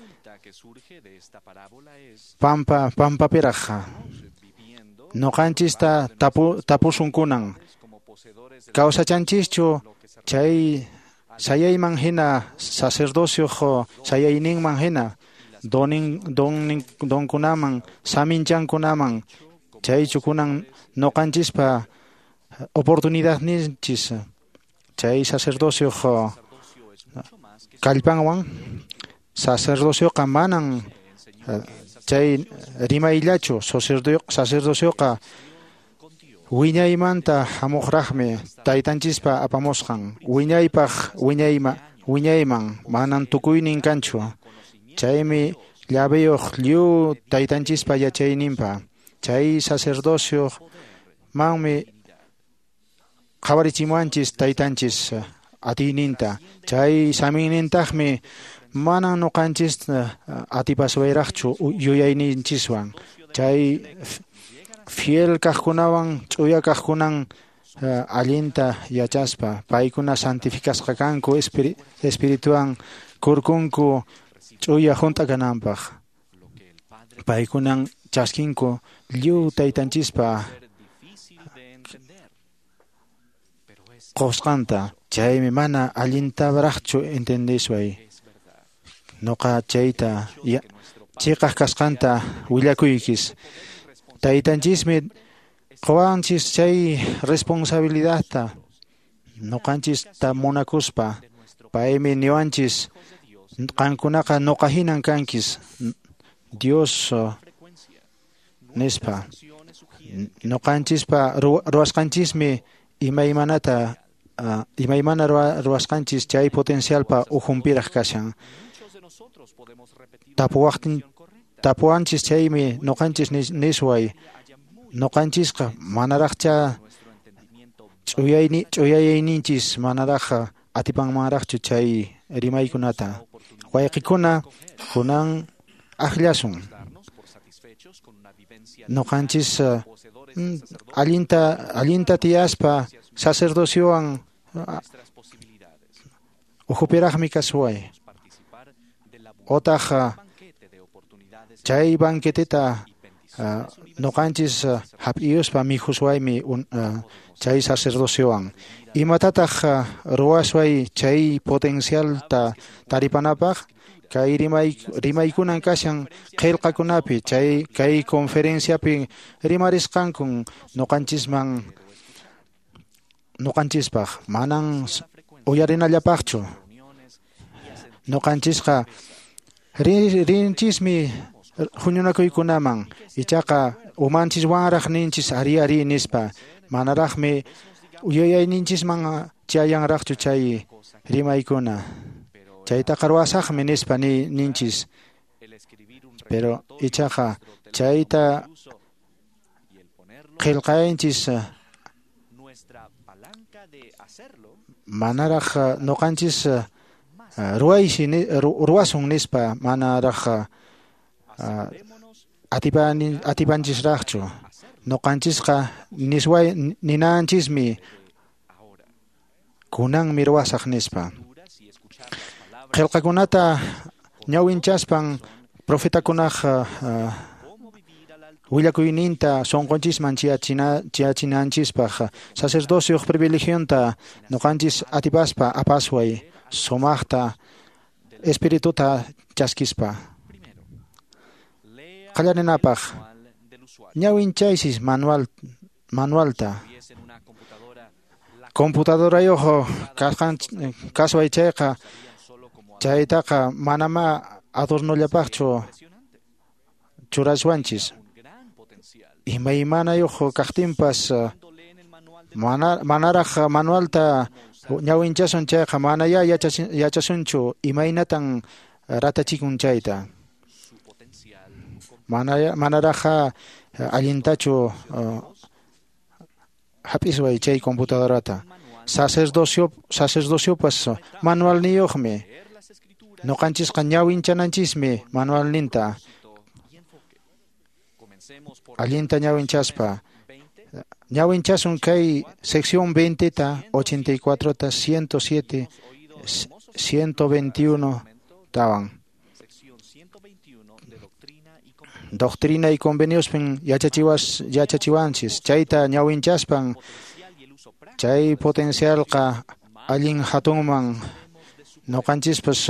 pampapiraq. Noqanchista tapusunkunan kawsachanchischu chay sayayman hina sacerdocioq sayayninman hina donkunaman saminchankunaman chaychu kunan noqanchispa oportunidadninchis chay sacerdocioq kallpanwan. Sacerdocioqa manan chay rimayllachu, sacerdocioqa wiñaymanta hamuqraqmi taytanchispa apamusqan wiñaypaq wiñayman manan tukuynin kanchu. Chaymi llaveyuq lliw taytanchispa yachayninpa. Chay sacerdocio manmi qhawarichimuwanchis taytanchis atiyninta. Chay saminnintaqmi manan nuqanchis atipaswayraqchu yuyayninchiswan. Chay fiel kaqkunawan ch'uya kaqkunan allinta yachaspa paykuna santificasqa kanku espirituan kurkunku ch'uya hunt'a kananpaq. Paykunan chaskinku lliw taytanchispa qusqanta. Chaymi mana allintaraqchu entendisway. Noqa chayta chiqaq kasqanta willakuykis. Taytanchismi qowanchis chay responsabilidadta noqanchista munakuspa. Paymi niwanchis qankunaqa noqa hinan kankis Dios nispa. Noqanchispa ruwasqanchismi imaymanata imaymana ruwasqanchis chay potencialpa ukhunpiraq kashan. Tapuwanchis chaymi noqanchis nisway noqanchisqa manaraqcha ch'uyayninchis manaraq atipanmanraqchu chay rimaykunata. Wayqikuna kunan akllasun. Noqanchis allinta tiyaspa sacerdociowan ukhupiraqmi kasuway. Otaq chay banqueteta noqanchis hap'iyuspa mikhuswaymi chay sacerdociowan. Imatataq ruwasway chay potencialta taripanapaq? Kay rimaykunan kashan qillqakunapi chay kay conferenciapi rimarisqankun noqanchisman noqanchispaq manan uyarinallapaqchu. Noqanchisqa rinchismi huñunakuykunaman ichaqa umanchiswanraq ninchis ari ari nispa manaraqmi yuyayninchisman chayanraqchu chay rimaykuna chaytaqa ruwasaqmi nispa ninchis pero ichaqa chayta qillqayanchis manaraq noqanchis ruwaysi ruwasun nispa manaraq atipanchisraqchu noqanchisqa nisway ninanchismi kunanmi ruwasaq nispa qillqakunata ñawinchaspan profetakunaq willakuyninta sunqunchisman chiyachinanchispaq sacerdocioq privilegionta noqanchis atipaspa apasway sumaqta espirituta chaskispa qallarinapaq ñawinchaysis manualta computadorayuq kasway chayqa chaytaqa manama adornollapaqchu churaswanchis imaymanayuq kaqtinpas manaraq manualta ñawinchasun chayqa manaya yachasunchu imaynatan ratachikun chayta manaraq allintachu hap'isway chay computadorata sacerdociopas manualniyuqmi noqanchisqa ñawinchananchismi manualninta allinta ñawinchaspa ñawinchasun kay sección 20 ta 84 ta 107 121 tawan Doctrina y conveniospin yachachiwanchis chayta ñawinchaspan chay potencialqa allin hatunman noqanchispas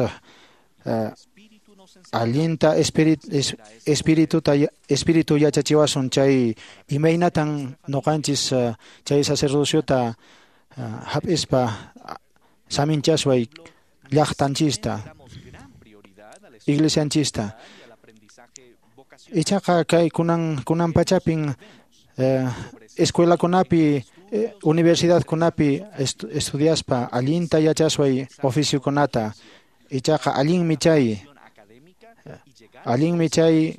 allinta espíritu yachachiwasun chay imaynatan noqanchis chay sacerdociota hap'ispa saminchasway llaqtanchista iglesianchista ichaqa kay kunan pachapin escuelakunapi universidadkunapi estudiaspa allinta yachasway oficiokunata ichaqa allinmi chay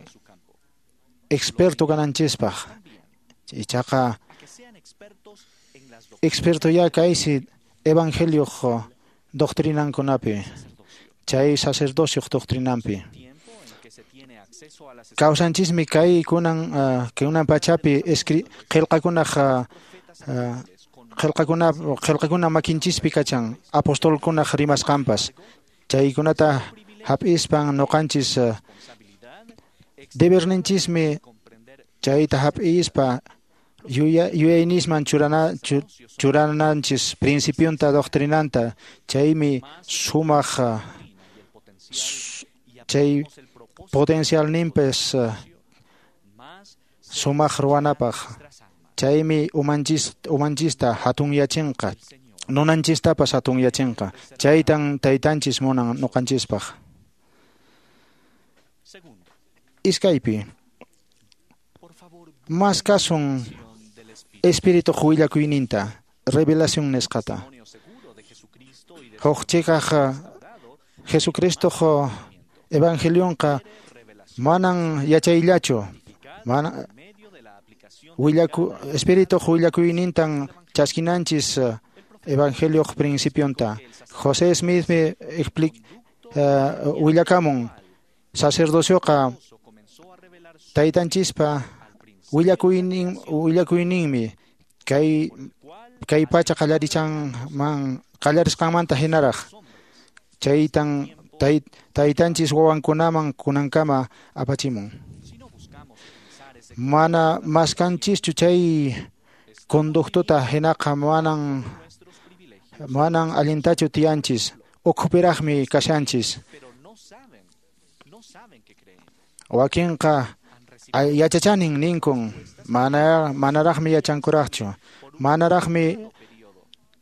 experto kananchispaq ichaqa experto ya kaysi evangelioq doctrinankunapi chay sacerdocioq doctrinanpi kawsanchismi kay kunan pachapi qillqakunaq qillqakuna makinchispi kachan apostolkunaq rimasqanpas chaykunata hap'ispan noqanchis deberninchismi chayta hap'ispa yuyaynisman churananchis principionta doctrinanta chaymi sumaq chay potencialninpis sumaq ruwanapaq chaymi umanchista hatunyachinqa nunanchistapas hatunyachinqa chaytan taytanchis munan noqanchispaq iskaypi maskasun espirituq willakuyninta revelación nisqata huk chiqaq Jesucristoq evangelionqa manan yachayllachu mana espirituq willakuynintan chaskinanchis evangelioq principionta José Smithmi willakamun sacerdocioqa taytanchispa willakuyninmi kay pacha qallarisqanmanta hinaraq chaytan taytanchis wawankunaman kunankama apachimun mana maskanchischu chay conductuta hinaqa manan allintachu tiyanchis ukhupiraqmi kashanchis wakinqa yachachanin ninkun manaraqmi yachankuraqchu manaraqmi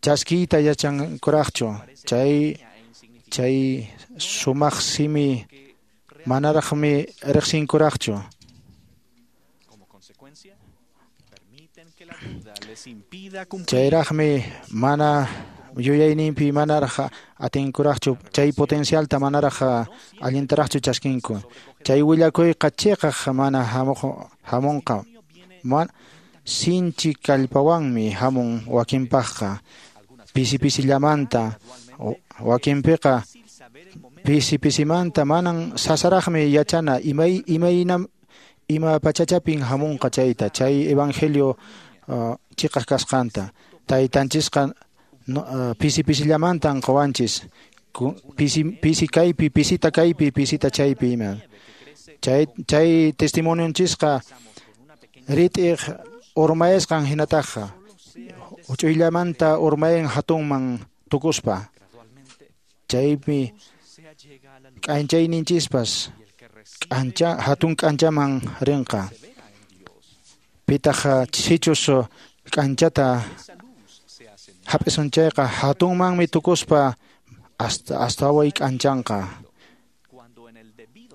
chaskiyta yachankuraqchu chay Chay sumaq simi manaraqmi riqsinkuraqchu. Chayraqmi mana yuyayninpi manaraq atinkuraqchu, chay potencialta manaraq allintaraqchu chaskinku. Chay willakuyqa chiqaq mana hamunqa. Sinchi kallpawanmi hamun wakinpaqqa, pisi pisillamanta, wakinpiqa pisi pisimanta manan sasaraqmi yachana ima pachachapin hamunqa chayta, chay evangelio chiqaq kasqanta. Taytanchisqa pisi pisillamantan qowanchis, pisi kaypi, pisita kaypi, pisita chaypi ima. Chay testimonionchisqa rit'iq urmayasqan hinataqa, huch'uyllamanta urmayan hatunman tukuspa. Chaypi k'anchayninchispas hatun k'anchaman rinqa. Pitaq sichus k'anchata hap'isun chayqa hatunmanmi tukuspa astaway k'anchanqa.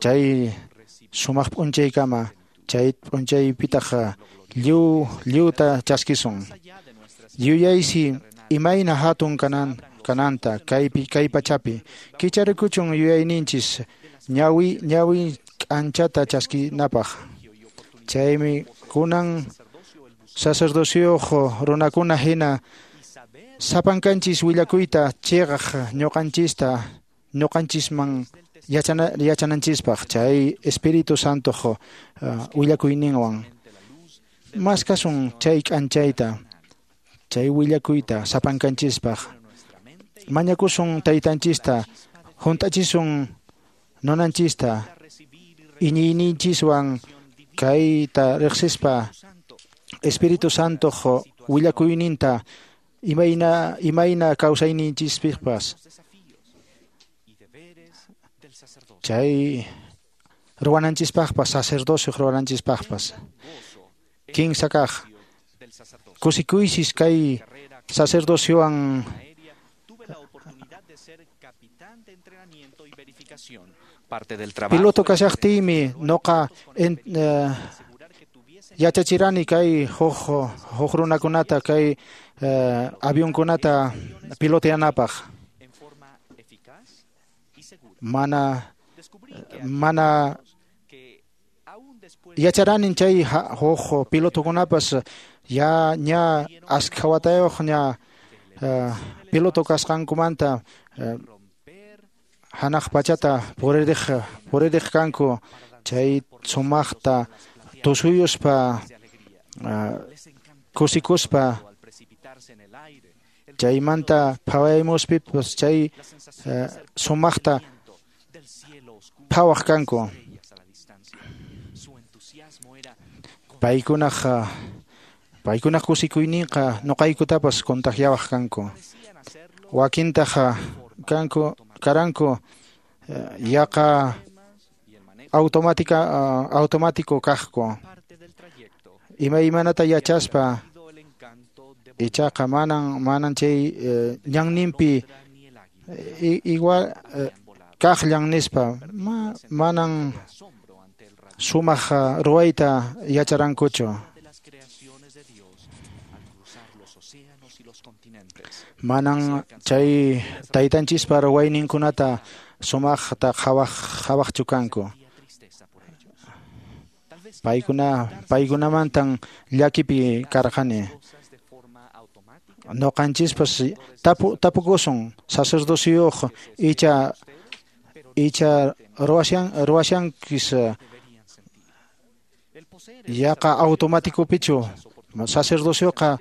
Chay sumaq p'unchaykama, chay p'unchaypitaq lliwta chaskisun. Yuyaysi imayna hatun kananta kay pachapi. Kicharikuchun yuyayninchis ñawi k'anchata chaskinapaq. Chaymi kunan sacerdocioq runakuna hina sapankanchis willakuyta chiqaq ñuqanchisman yachananchispaq chay Espíritu Santoq willakuyninwan. Maskasun chay k'anchayta, chay willakuyta sapankanchispaq. Mañakusun taytanchista, hunt'achisun nunanchista, iñiyninchiswan kayta riqsispa Espíritu Santoq willakuyninta imayna kawsayninchispipas. Chay ruwananchispaqpas, sacerdocio ruwananchispaqpas. Kinsa kaq, kusikuysis kay sacerdociowan piloto kashaqtiymi noqa yachachirani kay huk runakunata kay avionkunata piloteanapaq. Mana yacharanin chay huk pilotokunapas ya ña askha watayuq ña piloto kasqankumanta hanaq pachata puririq kanku chay sumaqta tusuyuspa kusikuspa chaymanta phawaymuspipas chay sumaqta phawaq kanku. Paykunaq kusikuyninqa nuqaykutapas contagiawaq kanku. Wakintaq karanku yaqa automático kaqku. Imaymanata yachaspa ichaqa manan chay ñanninpi igual kaqllan nispa manan sumaq ruwayta yacharankuchu. Manan chay taytanchispa ruwayninkunata sumaqta qhawaqchu kanku. Paykunamantan llakipi karqani. Noqanchispas tapukusun sacerdocioq icha ruwashankis yaqa automáticopichu sacerdocioqa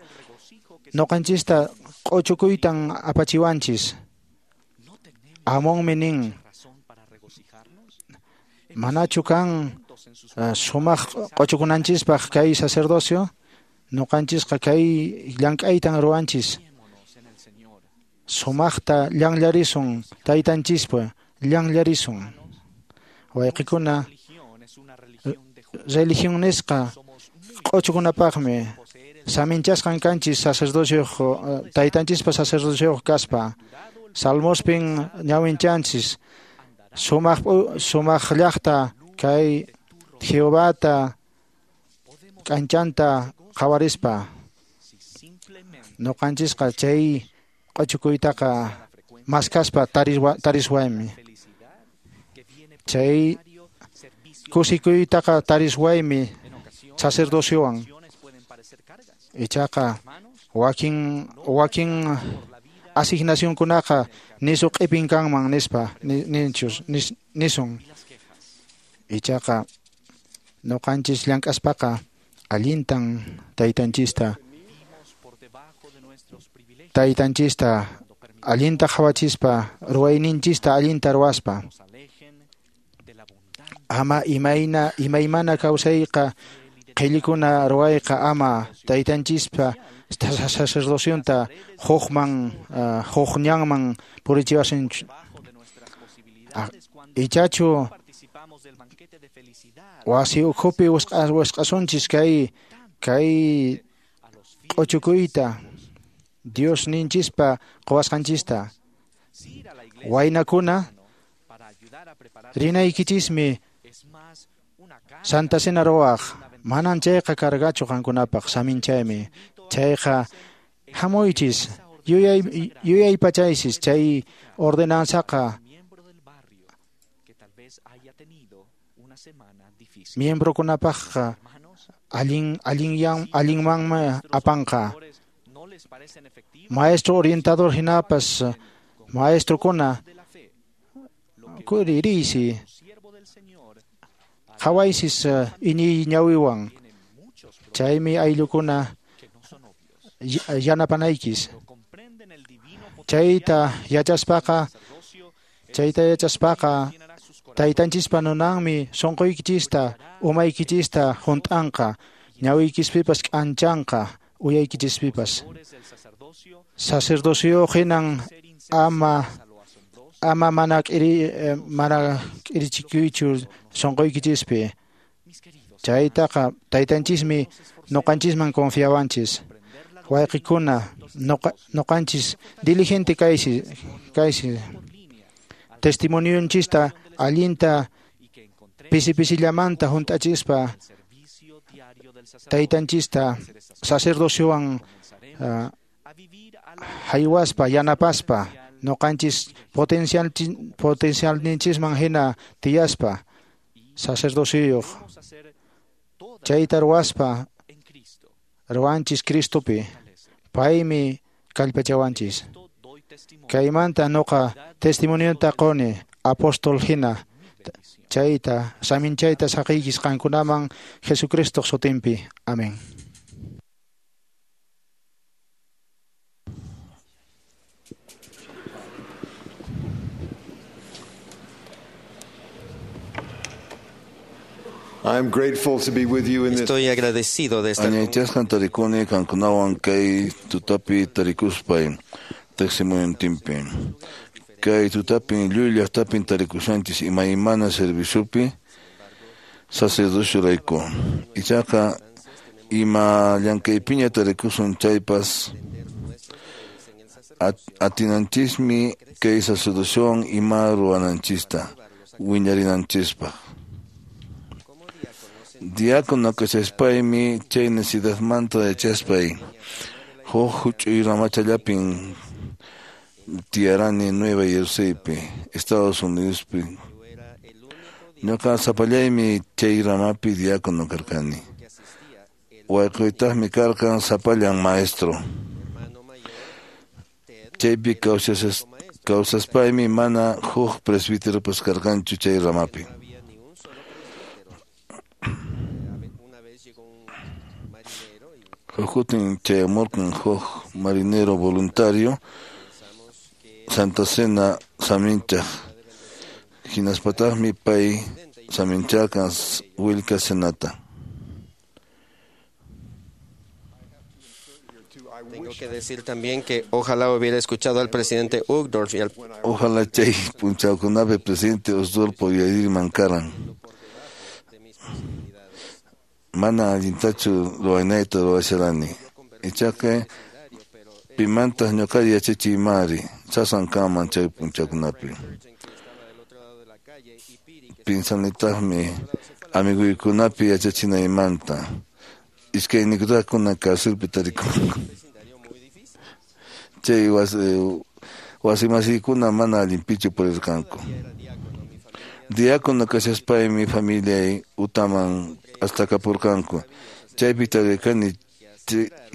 noqanchista q'uchukuytan apachiwanchis. Amonmi nin, manachu kan sumaq q'uchukunanchispaq kay sacerdocio? Noqanchisqa kay llank'aytan ruwanchis. Sumaqta llanllarisun taytanchispa, llanllarisun. Wayqikuna, religión nisqa q'uchukunapaqmi saminchasqan kanchis sacerdocioq taytanchispa sacerdocioq kaspa. Salmospin ñawinchanchis sumaq llaqta kay Jehovata k'anchanta qhawarispa ñuqanchisqa chay q'uchukuytaqa maskaspa tariswaymi chay kusikuytaqa tariswaymi sacerdociowan ichaqa wakin asignacionkunaqa nisu q'ipin kanman nispa nisun ichaqa ñuqanchis llank'aspaqa allintan taytanchista allinta qhawachispa ruwayninchista allinta ruwaspa ama imaymana kawsayqa qhillikuna ruwayqa ama taytanchispa sacerdocionta huk ñanman purichiwasunchu ichachu wasi ukhupi wisq'asunchis kay q'uchukuyta Dios ninchispa quwasqanchista waynakuna rinaykichismi Santa Cena ruwaq manan chayqa cargachu qankunapaq saminchaymi chayqa hamuychis yuyaypachaysis chay ordenanzaqa miembrokunapaqqa allinmanmi apanqa maestro orientador hinapas maestrokuna kuririysi qhawaysis iñiy ñawiwan chaymi ayllukuna yanapanaykis chayta yachaspaqa taytanchispa nunanmi sunquykichista umaykichista hunt'anqa ñawiykispipas k'anchanqa uyaykichispipas sacerdocio hinan ama mana k'irichikuychu sunquykichispi chaytaqa taytanchismi ñuqanchisman confiawanchis wayqikuna ñuqanchis diligente kaysi testimonionchista allinta pisi pisillamanta hunt'achispa taytanchista sacerdociowan haywaspa yanapaspa ñuqanchis potencialninchisman hina tiyaspa sacerdocioyuq chayta ruwaspa ruwanchis Cristopi paymi kallpachawanchis kaymanta ñuqa testimonionta quni apóstol hina chayta saminchayta saqiykis qankunaman Jesucristoq sutinpi. Amén. I'm grateful to be with you in this. Estoy agradecido de estar. Añaychasqan tarikuni qankunawan kay tutapi tarikuspay testimoniontinpi. Kay tutapin lluy llaqtapin tarikushanchis imaymana serviciopi sacerdociorayku. Ichaqa ima llank'aypiña tarikusun chaypas atinanchismi kay sacerdociowan ima ruwananchista wiñarinanchispaq. Diácono kashaspaymi chay necesidadmanta yachaspay huk huch'uy ramachallapin tiyarani Nueva Jerseypi, Estados Unidospi. Ñuqa sapallaymi chay ramapi diácono karqani. Wayquytaqmi karqan sapallan maestro. Chaypi kawsaspaymi mana huk presbíteropas karqanchu chay ramapi. Huk chayamurqan huk marinero voluntario Santa Cena saminchaq hinaspataqmi pay samincharqan willka cenata. Tengo que decir también que ojalá hubiera escuchado al presidente Uchtdorf y al Ojalá chay punchawkunapi presidente Uchtdorf uyarirman karan. Mana allintachu ruwaynayta ruwasharani. Ichaqa Pimantaq ñuqari yachachiymari sasan kanman chay p'unchawkunapi. Pinsanitaqmi amiguykunapi yachachinaymanta. Iskayniykutaq kunan carcelpi tarikunku. Chay wasimasiykuna mana allinpichu purirqanku. Diácono kashaspaymi familiay utaman astakapurqanku. Chaypi tarirqani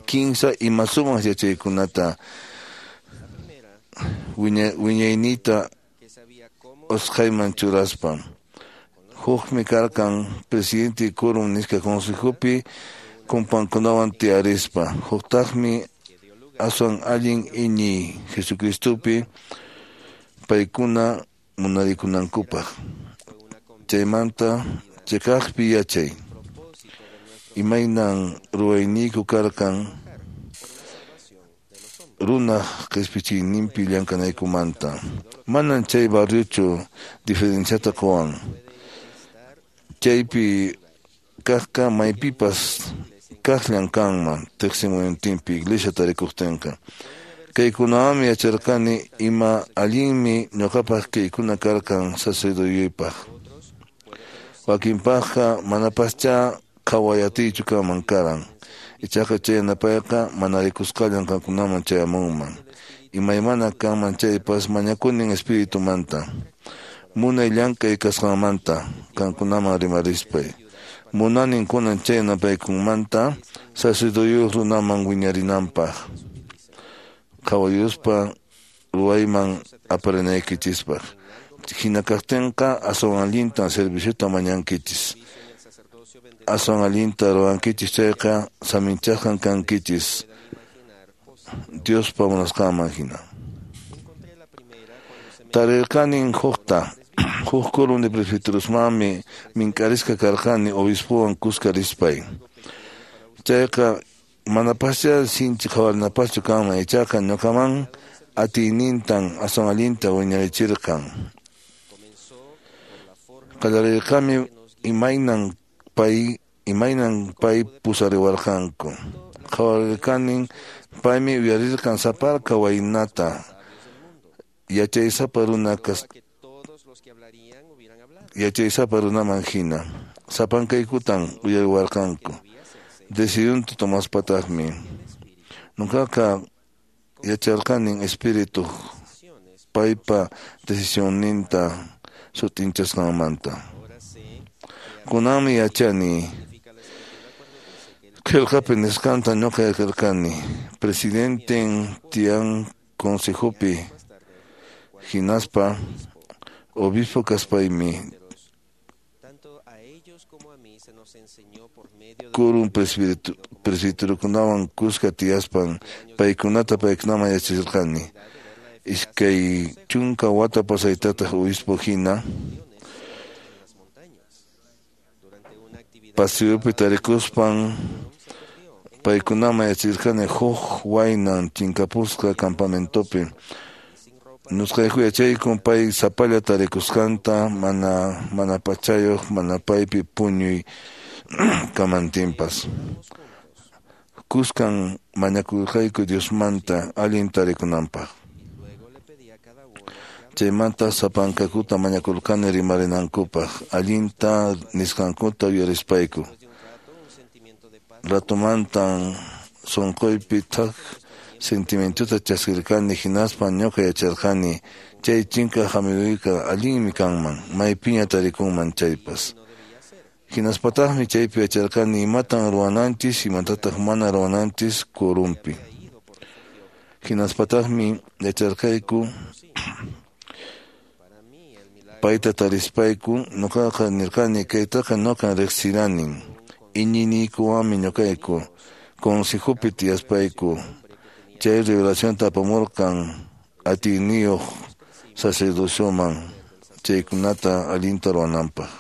kinsa ima sumaq yachaykunata wiñayniyta usqhayman churaspa. Hukmi karqan presidente quórum nisqa consejopi kumpankunawan tiyarispa. Huktaqmi aswan allin iñiy Jesucristopi paykuna munarikunankupaq. Chaymanta chiqaqpi yachay. Imaynan ruwayniyku karqan runaq qispichiyninpi llank'anaykumanta. Manan chay barriochu diferenciata quwan. Chaypi kaqqa maypipas kaqllan kanman tiqsimuyuntinpi iglesia tarikuqtinqa. Kaykunawanmi yacharqani ima allinmi ñuqapaq kaykuna karqan sacerdoteypaq. Wakinpaqqa manapaschá qhawayatiychu kanman karan. Ichaqa chay yanapayqa mana rikusqallan qankunaman chayamunman. Imaymana kanman chaypas mañakunin espiritumanta. Munay llank'ay kasqanmanta qankunaman rimarispay. Munanin kunan chay yanapaykunmanta sacerdoteyuq runaman wiñarinanpaq. Qhawayuspa ruwayman aparinaykichispaq. Hina kaqtinqa aswan allintan serviciota mañankichis. Aswan allinta ruwankichis chayqa saminchasqan kankichis Diospa munasqanman hina. Tarirqanin hukta. Huk quórum de presbiterosmanmi mink'arisqa karqani obispowan kuska rispay. Chayqa manapaschá sinchi qhawarinapaschu kanman ichaqa ñuqaman atiynintan aswan allinta wiñarichirqan. Qallarirqami imaynan pay pusariwarqanku. Qhawarirqanin paymi uyarirqan saparka waynata yachaysapa runaman hina. Sapankaykutan uyariwarqanku. Decidunta tomaspataqmi. Ñuqaqa yacharqanin espíritu paypa decisionninta sut'inchasqanmanta. Kunanmi yachani qillqapi nisqanta ñuqa yacharqani. Presidenten tiyan consejopi hinaspa obispo kaspaymi quórum presbiterokunawan kuska tiyaspan paykunata paykunaman yachachirqani. 20 wata pasaytataq obispo hina paseopi tarikuspan paykunaman yachachirqani huk waynan chinkapusqa campamentopi. Nusqayku yachaykun pay sapalla tarikusqanta mana pachayuq mana paypi puñuy kamantinpas. Kuskan mañakurqayku Diosmanta allin tarikunanpaq. Chaymanta sapankakuta mañakurqani rimarinankupaq allinta nisqankuta uyarispayku. Ratumantan sunquypi thak sentimientuta chaskirqani hinaspa ñuqa yacharqani chay chinkaq amiguyqa allinmi kanman maypiña tarikunman chaypas. Hinaspataqmi chaypi yacharqani imatan ruwananchis imatataq mana ruwananchis quórumpi. Hinaspataqmi yacharqayku payta tarispayku ñuqaqa nirqani kaytaqa ñuqan riqsiranin iñiyniykuwanmi ñuqayku consejopi tiyaspayku. Chay revelacionta apamurqan atiyniyuq sacerdocioman chaykunata allinta ruwananpaq.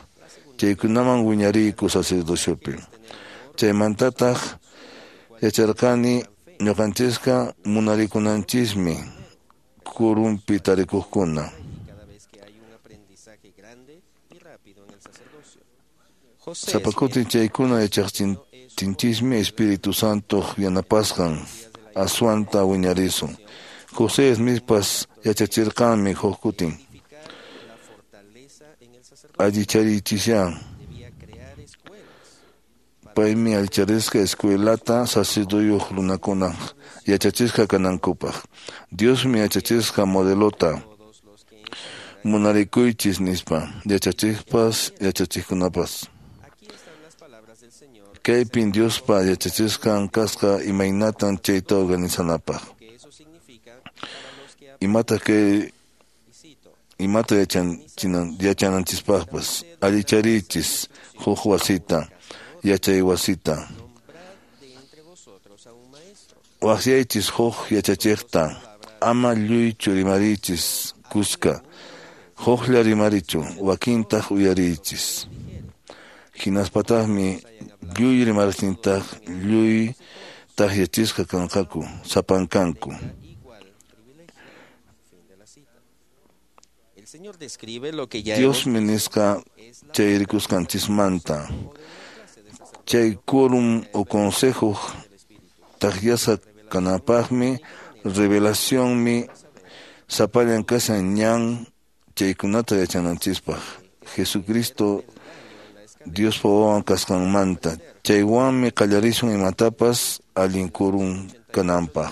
Chaykunaman wiñariyku sacerdociopi. Chaymantataq yacharqani ñuqanchisqa munarikunanchismi quórumpi tarikuqkuna. Sapa kutin chaykuna yachaqtinchismi Espíritu Santoq yanapasqan aswanta wiñarisun. José Smithpas yachachirqanmi huk kutin. Allicharichisyan. Paymi allicharisqa escuelata sacerdoteyuq runakuna yachachisqa kanankupaq. Diosmi yachachisqa modelota munarikuychis nispa yachachiqpas yachachiqkunapas. Kaypin Diospa yachachisqan kasqa imaynatan chayta organizanapaq. Imata kay imata yachananchispaqpas allicharichis huk wasita yachay wasita. Waqyaychis huk yachachiqta ama lluychu rimarichis kuska huklla rimarichu wakintaq uyariychis. Hinaspataqmi lluy rimaraqtintaq lluy takyachisqa kanqaku sapankanku. Diosmi nisqa chay rikusqanchismanta. Chay quórum o consejo takyasqa kananpaqmi revelacionmi sapallan kashan ñan chaykunata yachananchispaq. Jesucristo Diospa wawan kasqanmanta chaywanmi qallarisun imatapas allin quórum kananpaq.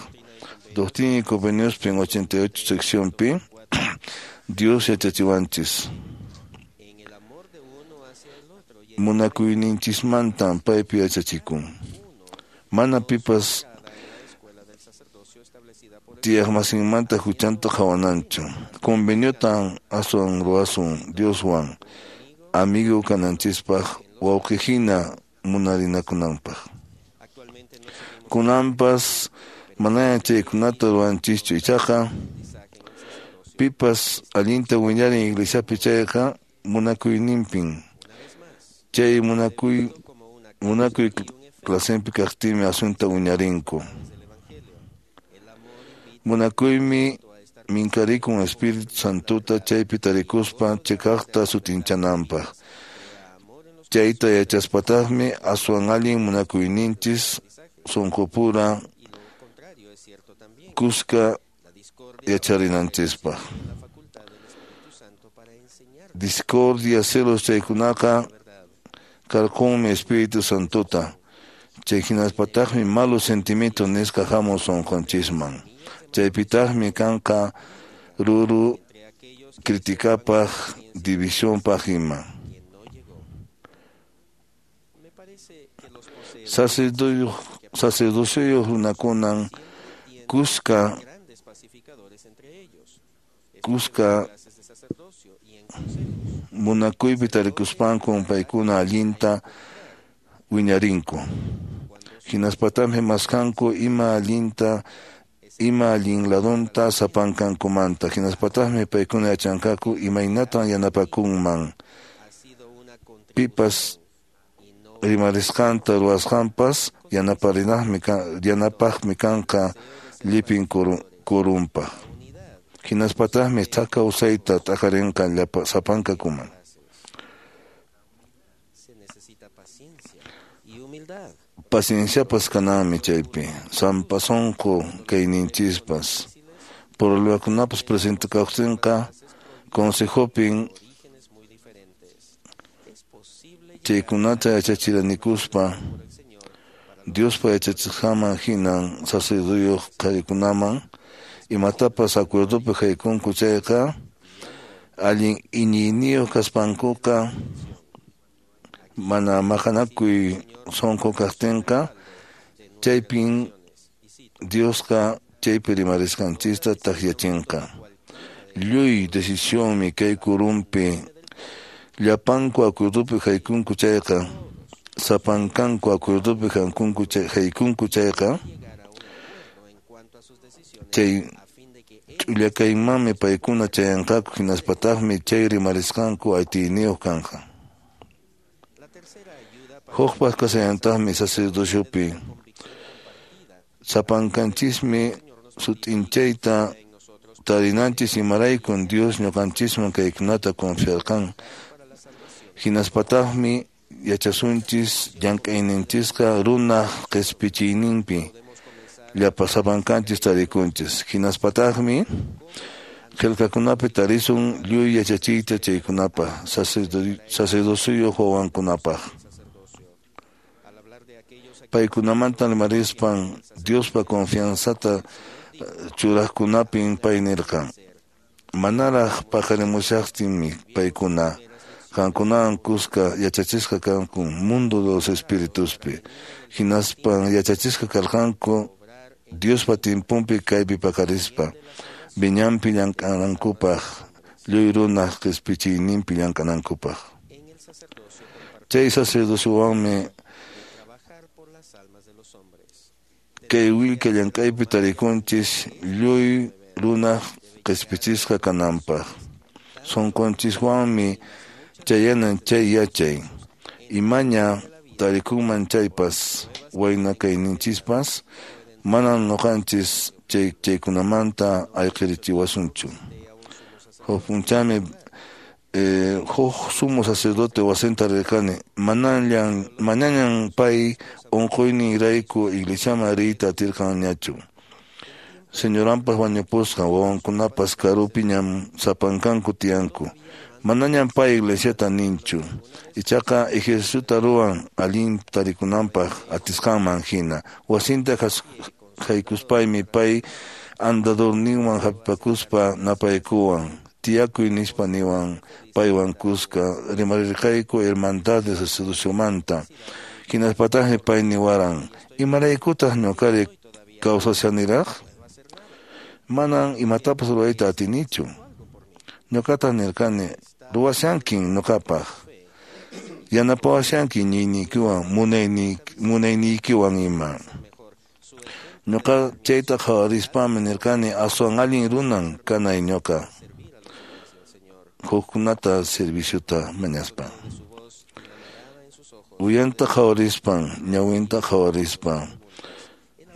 Doctrina y Conveniospi 88 seccionpi Dios yachachiwanchis. Munakuyninchismantan paypi yachachikun. Mana pipas tiyaqmasinmanta huchanta qhawananchu. Conveniotan aswan ruwasun Dioswan amigo kananchispaq wawqihina munarinakunanpaq. Kunanpas manaña chaykunata ruwanchischu ichaqa pipas allinta wiñarin iglesiapi chayqa munakuyninpin. Chay munakuy clasempi kaqtinmi asunta wiñarinku. Munakuymi minkarikun Espíritu Santota chaypi tarikuspa chiqaqta sutinchananpaq. Chayta yachaspataqmi aswan allin munakuyninchis sunqupura kuska yacharinanchispaq. Discordia celos chaykunaqa karqunmi Espíritu Santota. Chay hinaspataqmi malo sentimiento nisqa hamun sunqunchisman. Chaypitaqmi kanqa ruru criticapaq divisionpaq ima. Sacerdocioyuq runakunan kuska munakuypi tarikuspankun paykuna allinta wiñarinku. Hinaspataqmi maskanku ima allinta ima allin ladunta sapankankumanta. Hinaspataqmi paykuna yachanqaku imaynatan yanapakunman. Pipas rimarisqanta ruwasqanpas yanapaqmi kanqa llipin qurumpaq. Hinaspataqmi thak kawsayta t'aqarinqa sapankakuman. Pacienciapas kananmi chaypi, sampa sunqu kayninchispas. Problemakunapas presentakaqtinqa consejopin chaykunata yachachiranikuspa Diospa yachachisqanman hinan sacerdoteyuq qharikunaman imatapas acuerdopi haykunku chayqa allin iñiyniyuq kaspankuqa mana maqanakuy sunqu kaqtinqa chaypin Diosqa chaypi rimarisqanchista takyachinqa. Lluy decisionmi kay kurumpi llapanku acuerdopi haykunku chayqa sapankanku acuerdopi haykunku chayqa chay ch'ullakaymanmi paykuna chayanqaku hinaspataqmi chay rimarisqanku atiyniyuq kanqa. Hukpas kasallantaqmi sacerdociopi. Sapankanchismi sut'inchayta tarinanchis imaraykun Dios ñuqanchisman kaykunata confiarqan. Hinaspataqmi yachasunchis llank'ayninchisqa runaq qispichiyninpi. llapa sapankanchis tarikunchis. Hinaspataqmi qillqakunapi tarisun lluy yachachiyta chaykunapaq, sacerdociyuq wawankunapaq. Paykunamanta rimarispan Diospa confianzata churaqkunapin pay nirqan: Manaraq paqarimushaqtinmi paykuna qankunawan kuska yachachisqa kanku mundo de los espirituspi, hinaspan yachachisqa karqanku Diospa timpunpi kaypi paqarispa viñanpi llank'anankupaq, lluy runaq qispichiyninpi llank'anankupaq. Chay sacerdociowanmi kay willka llank'aypi tarikunchis lluy runaq qispichisqa kananpaq. Sunqunchiswanmi chayanan chay yachay. Imaña tarikunman chaypas, wayna kayninchispas, manam ñuqanchis chaykunamanta ayqirichiwasunchu. Huk p'unchawmi huk sumo sacerdote wasinta rirqani, manañam pay unquyninrayku iglesiaman riyta atirqanñachu. Señoranpas wañupusqan, wawankunapas karupiñam sapankanku tiyanku. Manañam pay iglesiata ninchu, ichaqa ejerciciota ruwan allin tarikunanpaq atisqanman hina. Wasinta haykuspaymi pay andadorninwan hapipakuspa napaykuwan, tiyakuy nispa niwan paywan kuska rimarirqayku hermandad de sacerdociomanta. Hinaspataqmi pay niwaran: Imaraykutaq ñuqari kawsashaniraq? Manam imatapas rurayta atinichu. Ñuqataq nirqani: Ruwashankin ñuqapaq, yanapawashanki iñiyniykiwan munayniykiwan ima. Ñuqa chayta qhawarispami nirqani: Aswan allin runan kanay ñuqa, hukkunata serviciota mañaspa. Uyanta qhawarispan, ñawinta qhawarispa,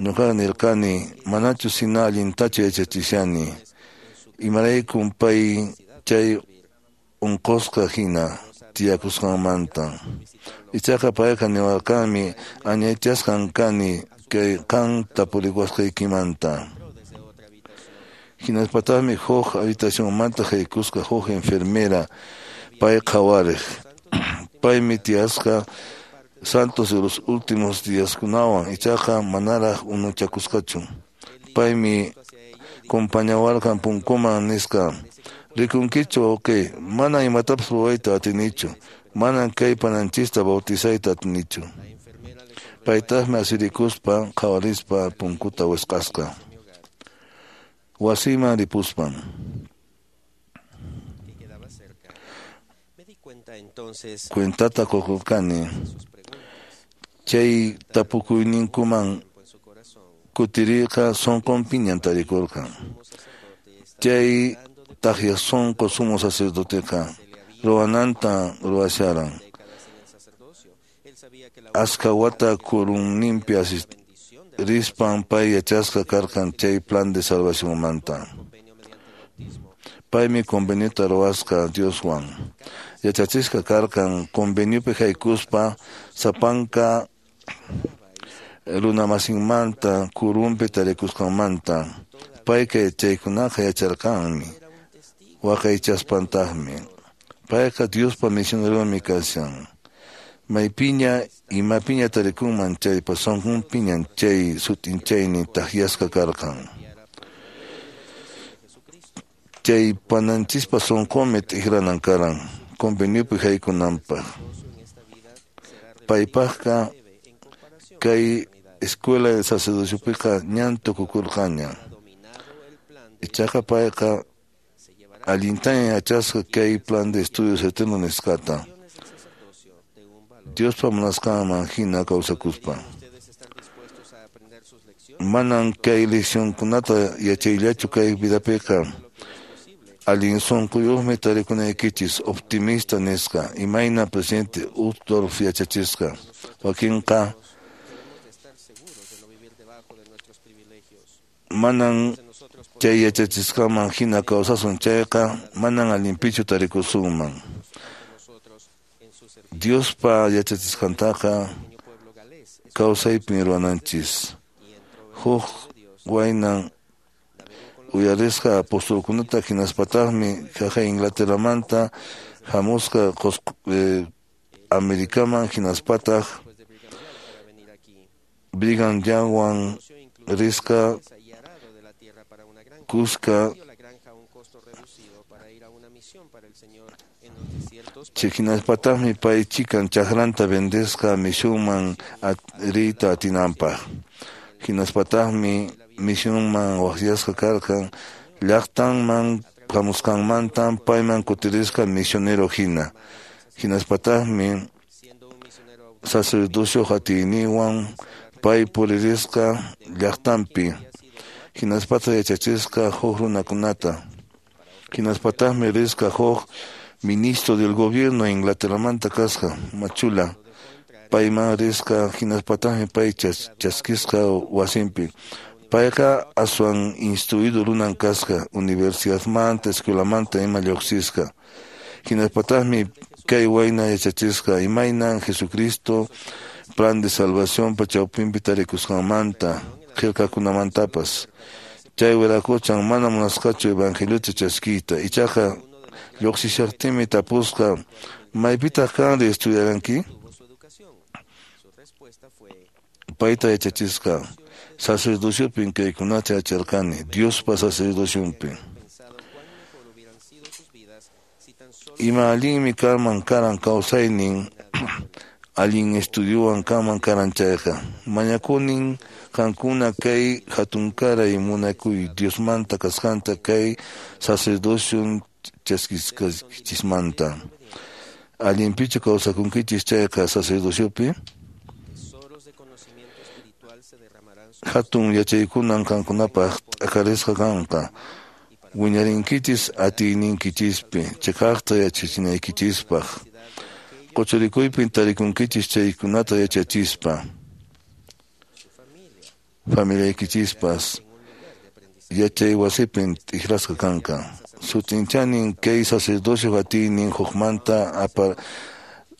ñuqa nirqani: Manachu hina allintachu yachachishani, imaraykun pay chay unqusqa hina tiyakusqanmanta. Ichaqa payqa niwarqanmi: Añaychasqan kani kay qan tapuriwasqaykimanta. Hinaspataqmi huk habitacionmanta haykusqa huk enfermera pay qhawariq. Paymi tiyasqa Santos de los Últimos Díaskunawan, ichaqa manaraq unuchakusqachu. Paymi compañawarqan punkuman nisqa: Rikunkichu wawqiy, manam imatapas ruwayta atinichu, manam kay pananchista bautizayta atinichu. Paytaqmi asirikuspa qhawarispa punkuta wisq'asqa. Wasiyman ripuspan. Cuentata qukurqani chay tapukuyninkuman kutiriyqa sunqunpiñam tarikurqan. Chay taqya sunqu sumo sacerdoteqa ruwananta ruwasharan. Askha wata kurunninpi rispan pay yachasqa karqan chay plan de salvacionmanta. Paymi conveniota ruwasqa Dioswan. Yachachisqa karqan conveniopi haykuspa sapanka runamasinmanta kurunpi tarikusqanmanta. Payqa chaykunaqa yacharqanmi, waqaychaspantaqmi. Payqa Diospa misioneronmi kashan. Maypiña imapiña tarikunman chaypas sunqunpiñam chay sut'inchaynin takyasqa karqan. Chay pananchispa sunqunmi t'ikranan karan conveniopi haykunanpaq. Paypaqqa kay escuela de sacerdociopiqa ñan tukukurqanña. Ichaqa payqa allintaña yachasqa kay plan de estudios eterno nisqata, Diospa munasqanman hina kawsakuspa. Manam kay leccionkunata yachayllachu kay vidapiqa. Allin sunquyuqmi tarikunaykichis optimista nisqa, imayna presidente Uchtdorf yachachisqa. Wakinqa manam chay yachachisqanman hina kawsasun chayqa, manam allinpichu tarikusunman. Diospa yachachisqantaqa kawsaypin ruwananchis. Huk waynan uyarisqa apostolkunata hinaspataqmi haqa Inglaterramanta hamusqa Americaman hinaspataq Brigham Youngwan risqa kuska hinaspataqmi pay chikan chakranta vendesqa misionman riyta atinanpaq. Hinaspataqmi misionman waqyasqa karqan llaqtanman hamusqanmantan payman kutirisqa misionero hina. Hinaspataqmi sacerdocio atiyninwan pay puririsqa llaqtanpi. Hinaspataq yachachisqa huk runakunata. Hinaspataqmi risqa huk ministro del gobierno Inglaterramanta kasqa machula. Payman risqa hinaspataqmi pay chaskisqa wasinpi. Payqa aswan instruido runan kasqa universidadmanta escuelamanta ima lluqsisqa. Hinaspataqmi kay wayna yachachisqa imaynan Jesucristo plan de salvación chawpinpi tarikusqanmanta qillqakunamantapas. Chay wiraquchan mana munasqachu evangeliota chaskiyta. Ichaqa lluqsishaqtinmi tapusqa maypitaq kanri estudiaranki? Payta yachachisqa sacerdociopin kaykunata yacharqani Diospa sacerdocionpi. Ima allinmi kanman karan kawsaynin allin estudiowan kanman karan chayqa. Mañakunin qankuna kay hatunkaray munakuy Diosmanta kasqanta kay sacerdocion chaskisqaykichismanta. Allinpichu kawsakunkichis chayqa sacerdociopi? Hatun yachaykunan qankunapaq t'akarisqa kanqa. Wiñarinkichis atiyniykichispi chiqaqta yachachinaykichispaq. Quchurikuypin tarikunkichis chaykunata yachachispa. Familiaykichispas yachay wasipin t'ikrasqa kanqa. Sut'inchanin kay sacerdocio atiynin hukmanta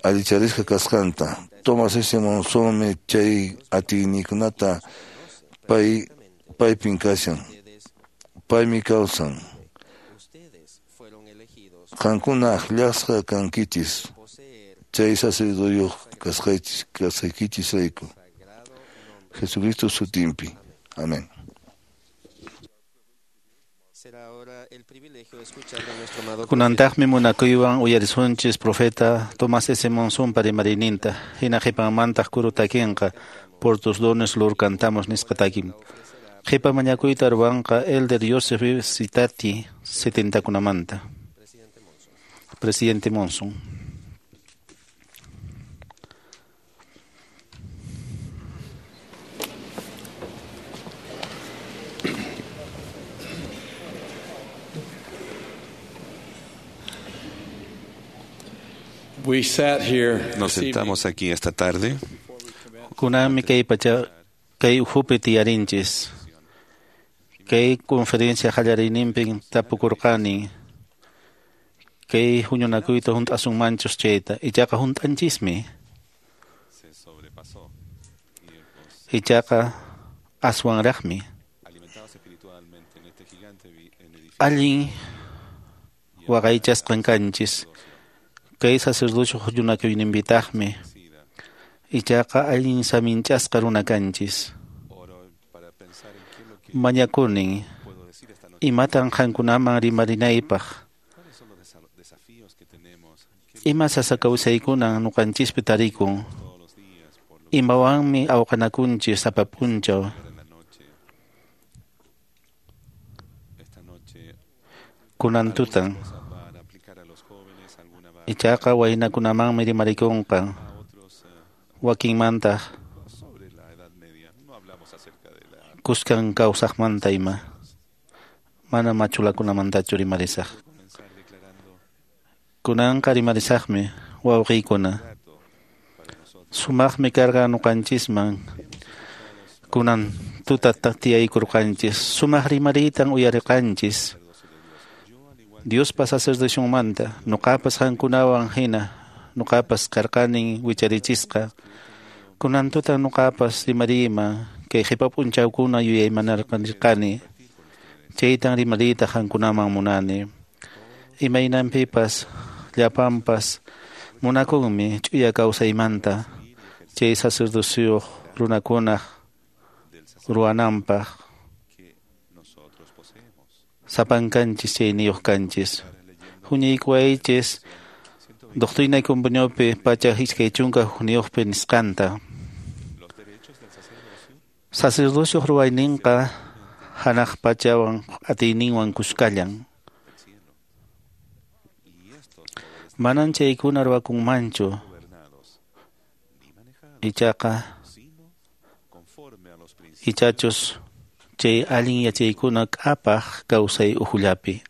allicharisqa kasqanta. Thomas S. Monsonmi chay atiyninkunata paypin kashan. Paymi kawsan. Qankuna akllasqa kankichis chay sacerdoteyuq kasqaykichisrayku. Jesucristo sutinpi. Amén. Kunantaqmi munakuywan uyarisunchis profeta Tomás S. Monsonpa rimariyninta. Hina qhipanmantaq kuru takinqa por tus dones lur cantamos nisqa takin. Qhipa mañakuyta ruwanqa Elder Joseph Sitati 70kunamanta. Presidente Monson. Nos sentamos aquí esta tarde. Kunanmi kay pacha kay ukhupi tiyarinchis. Kay conferencia qallariyninpin tapukurqani. Kay huñunakuyta hunt'asunmanchus chayta. Ichaqa hunt'anchismi. Ichaqa aswanraqmi. Allin waqaychasqan kanchis. Kay sacerdocio huñunakuyninpitaqmi. Ichaqa allin saminchasqa runa kanchis. Mañakunin imatan qankunaman rimarinaypaq. Ima sasa kawsaykunan ñuqanchispi tarikun. Imawanmi awqanakunchis sapa p'unchaw. Kunan tutan. Ichaqa waynakunamanmi rimarikunqa. Wakinmantaq kuskan kawsaqmanta ima. Mana machulakunamantachu rimarisaq. Kunanqa rimarisaqmi wawqiykuna. Sumaqmi karqa ñuqanchisman. Kunan tuta tiyaykurqanchis. Sumaq rimariytan uyariqanchis. Diospa sacerdocionmanta ñuqapas qankunawan hina ñuqapas karqanin wicharichisqa. Kunan tuta ñuqapas rimariyman Kay qhipa p'unchawkuna yuyaymanarqani. Chaytan rimariyta qankunaman munani. Imaynanpipas llapanpas munakunmi ch'uya kawsaymanta chay sacerdocioq runakunaq ruwananpaq sapankanchis chayniyuq kanchis. Huñaykuwaychis Doctrina y Conveniopi 121 nisqanta. Sacerdocioq ruwayninqa hanaq pachawan atiyninwan kuskallan. Manan chaykuna ruwakunmanchu. Ichaqa ichachus chay allin yachaykuna k'apaq kawsay uhullapi.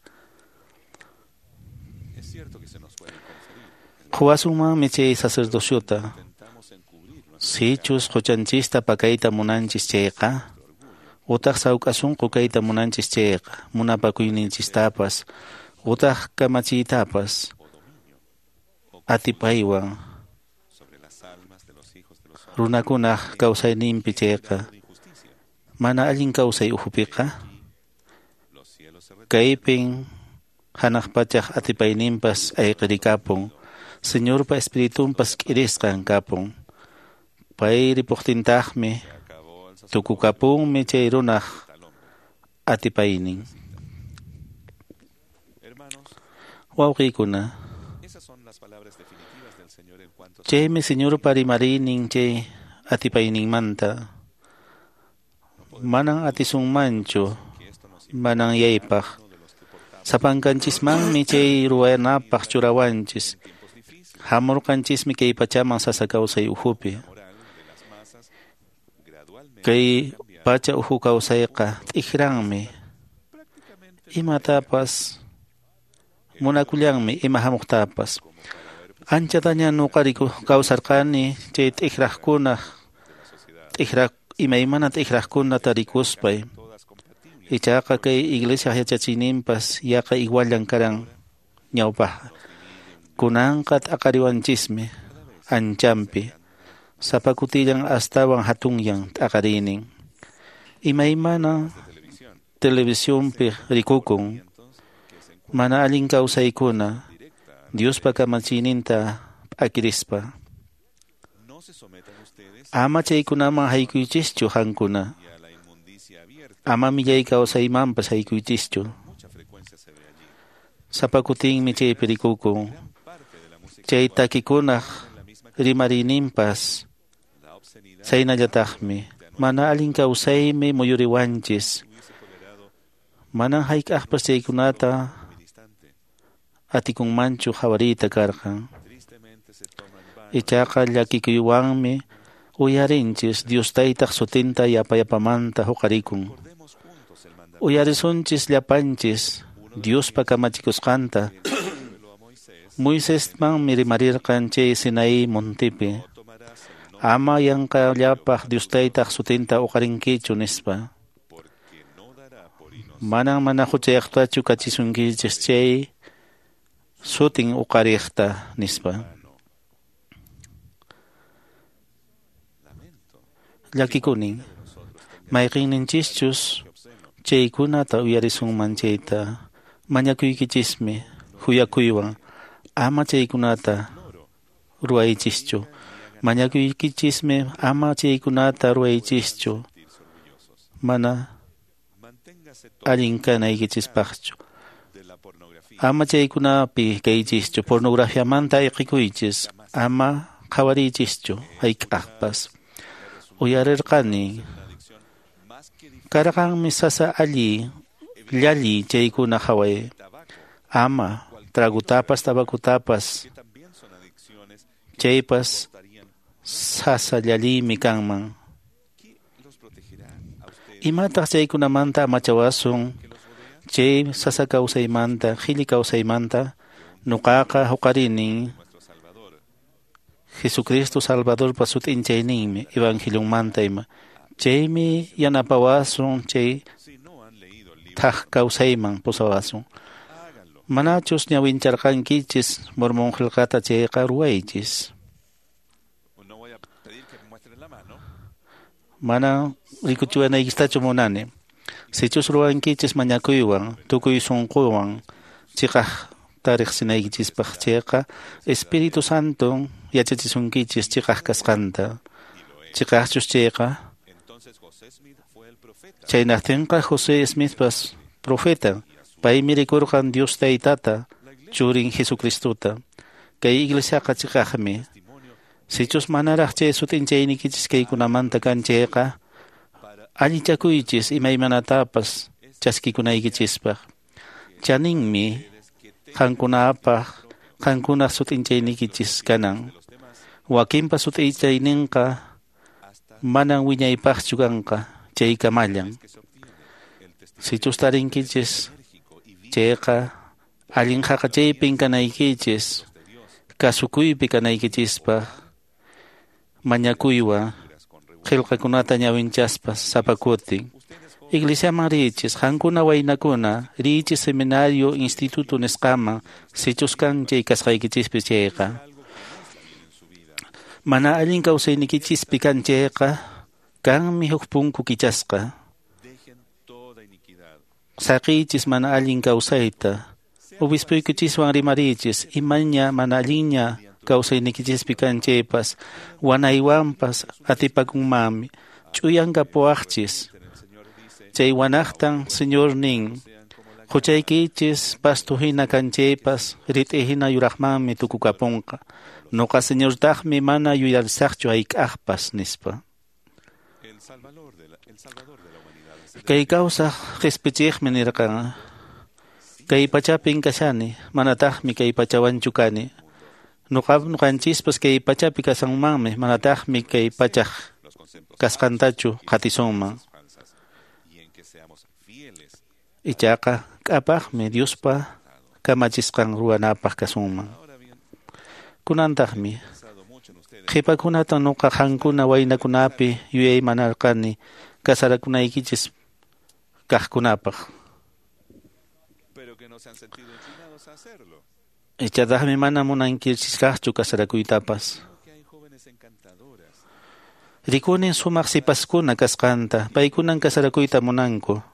Quwasunmanmi chay sacerdociota. Sichus quchanchista pakayta munanchis chayqa, utaq sawk'asunqu kayta munanchis chayqa, munapakuyninchistapas, utaq kamachiytapas, atipaywan runakunaq kawsayninpi chayqa, mana allin kawsay uhupiqa, kaypin hanaq pachaq atipayninpas ayqirikapun, Señorpa espiritunpas k'irisqan kapun. Pay ripuqtintaqmi tukukapunmi chay runaq atipaynin. Wawqiykuna, chaymi Señorpa rimariynin chay atipayninmanta. Manan atisunmanchu manan yaypaq. Sapankanchismanmi chay ruwanapaq churawanchis. Hamurqanchismi kay pachaman sasa kawsay uhupi. Kay pacha uhu kawsayqa t'ikranmi. Imatapas munakullanmi ima hamuqtapas. Anchataña nuqariku kawsarqani chay t'ikraqkunaq imaymana t'ikraqkuna tarikuspay. Ichaqa kay iglesia yachachiyninpas yaqa iguallan karan ñawpaqqa. Kunanqa t'aqariwanchismi anchampi. Sapa kutillan astawan hatunyan t'aqariynin. Imaymana televisionpi rikukun mana allin kawsaykuna Diospa kamachiyninta p'akirispa. Ama chaykunaman haykuychischu qankuna. Ama millay kawsaymanpas haykuychischu. Sapa kutinmi chaypi rikukun. Chay takikunaq rimariyninpas saynallataqmi. Mana allin kawsaymi muyuriwanchis. Manan hayk'aqpas chaykunata atikunmanchu qhawariyta karqan. Ichaqa llakikuywanmi uyarinchis Dios taytaq sutinta yapayapamanta huqarikun. Uyarisunchis llapanchis Diospa kamachikusqanta. Moisesmanmi rimarirqan chay Sinaí montipi. Ama yanqallapaq Dios taytaq sutinta uqarinkichu nispa. Manan mana huchayaqtachu kachisunkichis chay sutin uqariqta nispa. Llakikunin. Mayqinninchischus chaykunata uyarisunman chayta mañakuykichismi huyakuywan. Ama chaykunata ruwaychischu. Mañakuykichismi ama chaykunata ruwaychischu. Mana allin kanaykichispaqchu. Ama chaykunapi kaychischu. Pornografiamanta ayqikuychis. Ama qhawariychischu hayk'aqpas. Uyarirqani. Karqanmi sasa alli llalli chaykuna qhaway. Ama tragutapas tabakutapas chaypas sasa llalliymi kanman. Imataq chaykunamanta amachawasun chay sasa kawsaymanta qhilli kawsaymanta nuqaqa huqarinin Jesucristo Salvadorpa sut'inchayninmi evangelionmanta ima. Chaymi yanapawasun chay thaq kawsayman pusawasun. Manachus ñawincharqankichis Mormón qillqata chayqa ruwaychis. Mana rikuchiwanaykistachu munani. Sichus ruwankichis mañakuywan, tukuy sunquwan, chiqaqta riqsinaykichispaq chayqa, Espíritu Santo yachachisunkichis chiqaq kasqanta. Chiqaqchus chayqa, chaynaqtinqa José Smithpas profeta, paymi rikurqan Dios Taytata, churin Jesucristota. Kay iglesiaqa chiqaqmi. Sichus manaraq chay sut'inchaynikichis kaykunamanta kan chayqa, allichakuychis imaymanatapas chaskikunaykichispaq. Chaninmi qankunapaq qankunaq sut'inchaynikichis kanan. Wakinpa sut'inchayninqa manan wiñaypaqchu kanqa chaykamallan. Sichus tarinkichis chayqa allin haqachaypin kanaykichis, kasukuypi kanaykichispaq, mañakuywan qillqakunata ñawinchaspa sapa kutin. Iglesiaman riichis, qankuna waynakuna, riichis seminario instituto nisqaman, sichus kan chay kasqaykichispi chayqa. Mana allin kawsaynikichispi kan chayqa, kanmi huk punku kichasqa. Saqiychis mana allin kawsayta. Obispuykinchiswan rimarichis, imaña mana allinña kawsaynikichispi kan chaypas, wanaywanpas atipakunmanmi, ch'uyan kapuwaqchis. Chay wanaqtan Señor nin, huchaykichis pasto hina kan chaypas, rit'i hina yuraqmanmi tukukapunqa. Nuqa Señortaqmi mana yuyarisaqchu hayk'aqpas, nispa. Kay kawsaq qispichiqmi nirqan, kay pachapin kashani, manataqmi kay pachawanchu kani. Nuqanchispas kay pachapi kasanmanmi, manataqmi kay pachaq kasqantachu qatisunman. Ichaqa k'apaqmi Diospa kamachisqan ruwanapaq kasunman. Kunantaqmi qhipakunata nuqa qankuna waynakunapi yuyaymanarqani kasarakunaykichis kaqkunapaq. Ichataqmi mana munankichisraqchu kasarakuytapas. Rikunin sumaq sipaskuna kasqanta, paykunan kasarakuyta munanku.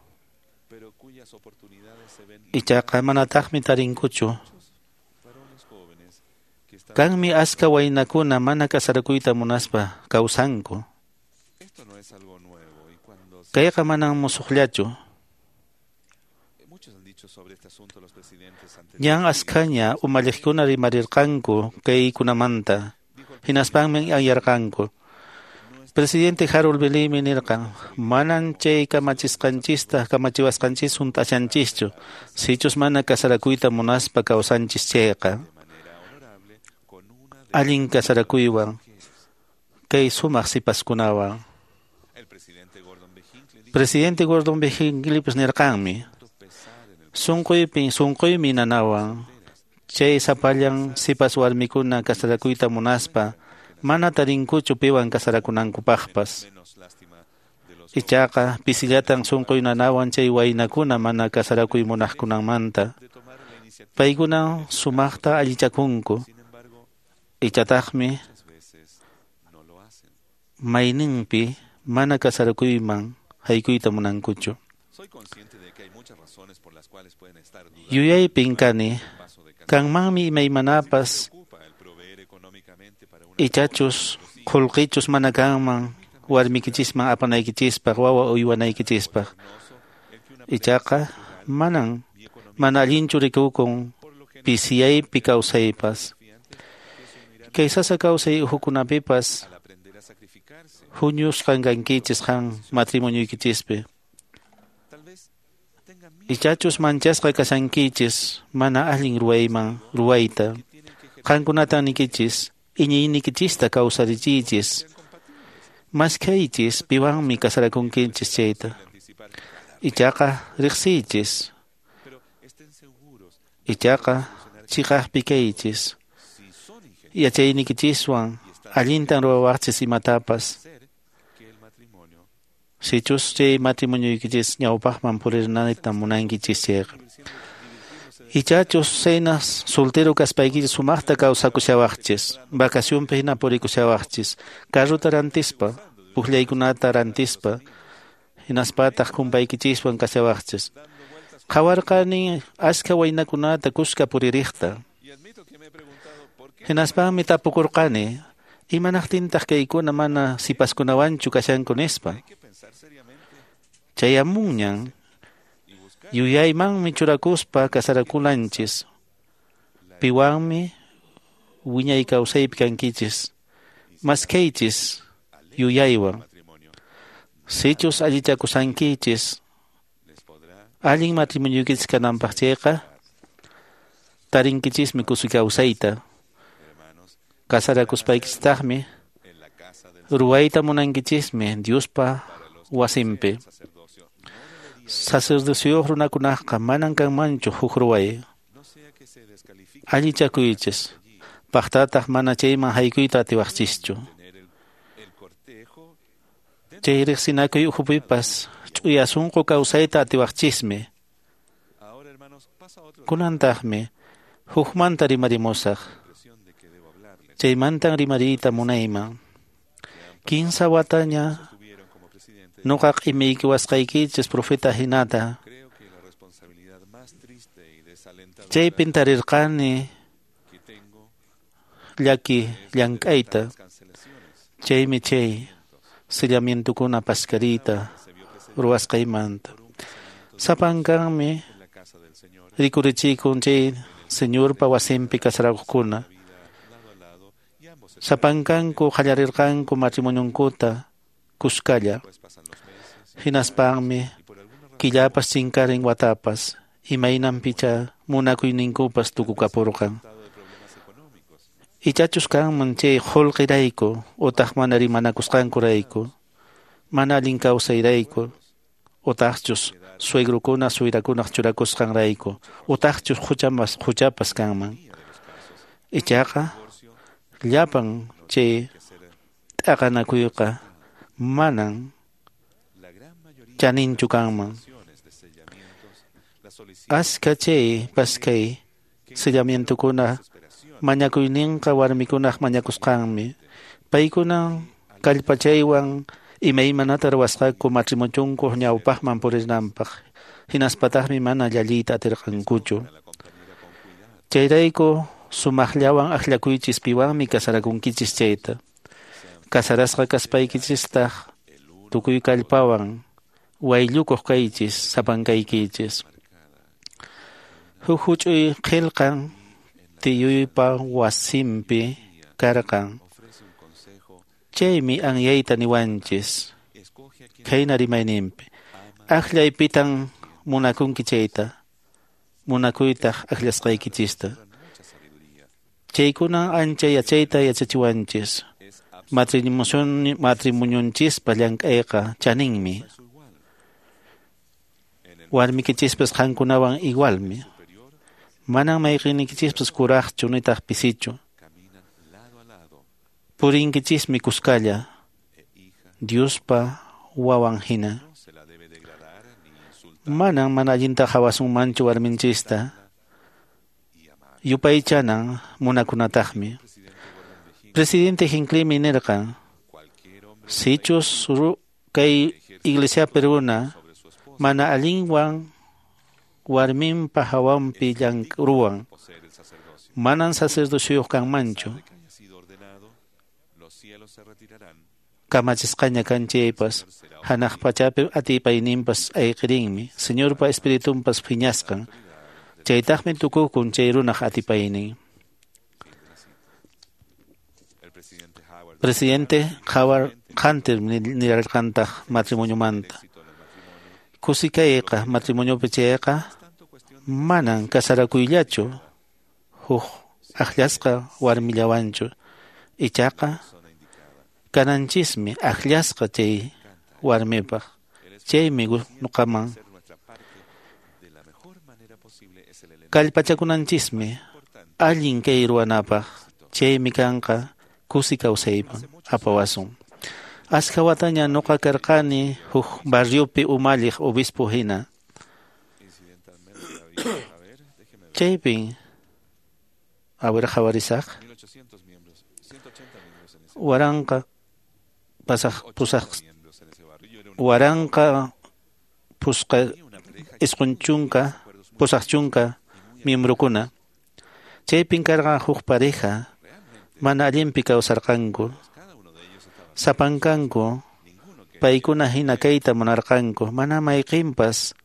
Ichaqa manataqmi tarinkuchu. Kanmi aska waynakuna mana kasarakuyta munaspa kawsanku. Kayqa manan musuqllachu. Ñan askhaña umalliqkuna rimarirqanku kaykunamanta, hinaspanmi anyarqanku. Presidente Harold B. Lee nirqan, manan chay kamachisqanchista kamachiwasqanchis hunt'ashanchischu, sichus mana kasarakuyta munaspa kawsanchis chayqa. Allin kasarakuywan, kay sumaq sipaskunawan. Presidente Gordon B. Hinckleypas nirqanmi, sunquymi nanawan, chay sapallan sipas warmikuna kasarakuyta munaspa, mana tarinkuchu piwan kasarakunankupaqpas. Ichaqa pisillatan sunquy nanawan chay waynakuna mana kasarakuy munaqkunamanta. Paykuna sumaqta allichakunku. Ichataqmi mayninpi mana kasarakuyman haykuyta munankuchu. Yuyaypin kani, kanmanmi imaymanapas ichachus qullqichus mana kanman warmikichisman apanaykichispaq, wawa uywanaykichispaq. Ichaqa manan mana allinchu rikukun pisiyaypi kawsaypas. Kay sasa kawsay uhukunapipas huñusqan kankichis qan matrimonioykichispi. Ichachus manchasqa kashankichis mana allin ruwayman ruwayta. Qankunatan nikichis iñiynikichista kawsarichiychis. Maskhaychis piwanmi kasarakunkichis chayta. Ichaqa riqsiychis. Ichaqa chiqaqpi kaychis. Yachaynikichiswan allintan ruwawaqchis imatapas. Sichus chay matrimonioykichis ñawpaqman purirnayta munankichis chayqa. Ichachus cenas soltero kaspaykichis sumaqta kawsakushawaqchis, vacacionpi hina purikushawaqchis, carrota rantispa, pukllaykunata rantispa, hinaspataq kumpaykichiswan kashawaqchis. Qhawarqani askha waynakunata kuska puririqta. Hinaspanmi tapukurqani, imanaqtintaq kaykuna mana sipaskunawanchu kashanku nispa. Chayamunñan yuyaymanmi churakuspa kasarakunanchis. Piwanmi wiñay kawsaypi kankichis. Maskaychis yuyaywan. Sichus allichakusankichis allin matrimonioykichis kananpaq chayqa tarinkichismi kusi kawsayta. Kasarakuspaykichistaqmi ruwayta munankichismi Diospa wasinpi. Sacerdocioyuq runakunaqqa manan kanmanchu huk ruway. Allichakuychis, paqtataq mana chayman haykuyta atiwaqchischu. Chay riqsinakuy ukhupipas ch'uya sunqu kawsayta atiwaqchismi. Kunantaqmi hukmanta rimarimusaq. Chaymantan rimariyta munayman. 15 wataña nuqaq imaykiwasqaykichis profeta hinata. Chaypin tarirqani llaki llank'ayta. Chaymi chay sellamientukuna paskariyta ruwasqaymanta. Sapankanmi rikurichikun chay Señorpa wasinpi kasarakuqkuna. Sapankanku qallarirqanku matrimonionkuta kuskalla. Hinaspanmi killapas chinkarin watapas imaynanpicha munakuyninkupas tukukapurqan. Ichachus kanman chay qullqirayku utaq mana rimanakusqankurayku, mana allin kawsayrayku, utaqchus suegrokuna suegrakunaq churakusqanrayku, utaqchus huchapas kanman. Ichaqa llapan chay t'aqanakuyqa manan chaninchu kanman. Askha chay paskay sellamientukuna mañakuyninqa warmikunaq mañakusqanmi. Paykunan kallpachaywan imaymanata ruwasqaku matrimonionkuq ñawpaqman purinanpaq. Hinaspataqmi mana llalliyta atirqankuchu. Chayrayku sumaqllawan akllakuychis piwanmi kasarakunkichis chayta. Kasarasqa kaspaykichistaq tukuy kallpawan wayllukuq kaychis sapankaykichis. Huk huch'uy qillqan tiyuypa wasinpi karqan. Chaymi anyayta niwanchis khayna rimayninpi. Akllay pitan munakunki chayta, munakuytaq akllasqaykichista. Chaykunan ancha yachayta yachachiwanchis. Matrimonionchispa llank'ayqa chaninmi. Warmikichispas qankunawan igualmi. Manan mayqinikichispas kuraqchu nitaq pisichu. Purinkichismi kuskalla Diospa wawan hina. Manan mana allinta qhawasunmanchu warminchista. Yupaychanan munakunataqmi. Presidente Hinckleymi nirqan, sichus kay iglesiapi runa mana allinwan warminpa hawanpi ruwan, manan sacerdocioyuq kanmanchu. Kamachisqaña kan chaypas, hanaq pachapi atipayninpas ayqirinmi, Señorpa espiritunpas phiñasqan. Chaytaqmi tukukun chay runaq atipaynin. Presidente Howard Hunter nirarqantaq matrimoniomanta. Kusikayqa matrimoniopi chayqa manan kasarakuyllachu huk akllasqa warmillawanchu. Ichaqa kananchismi akllasqa chay warmipaq. Chaymi nuqaman kallpachakunanchismi allin kay ruwanapaq. Chaymi kanqa kusi kawsayman apawasun. Askha wataña nuqa karqani huk barriopi umalliq obispo hina. Chaypin a ver qhawarisaq 1000 pusqa 90 80 miembrokuna. Chaypin karqan huk pareja mana allinpi kawsarqanku. Sapankanku paykuna hina kayta munarqanku, mana mayqinpas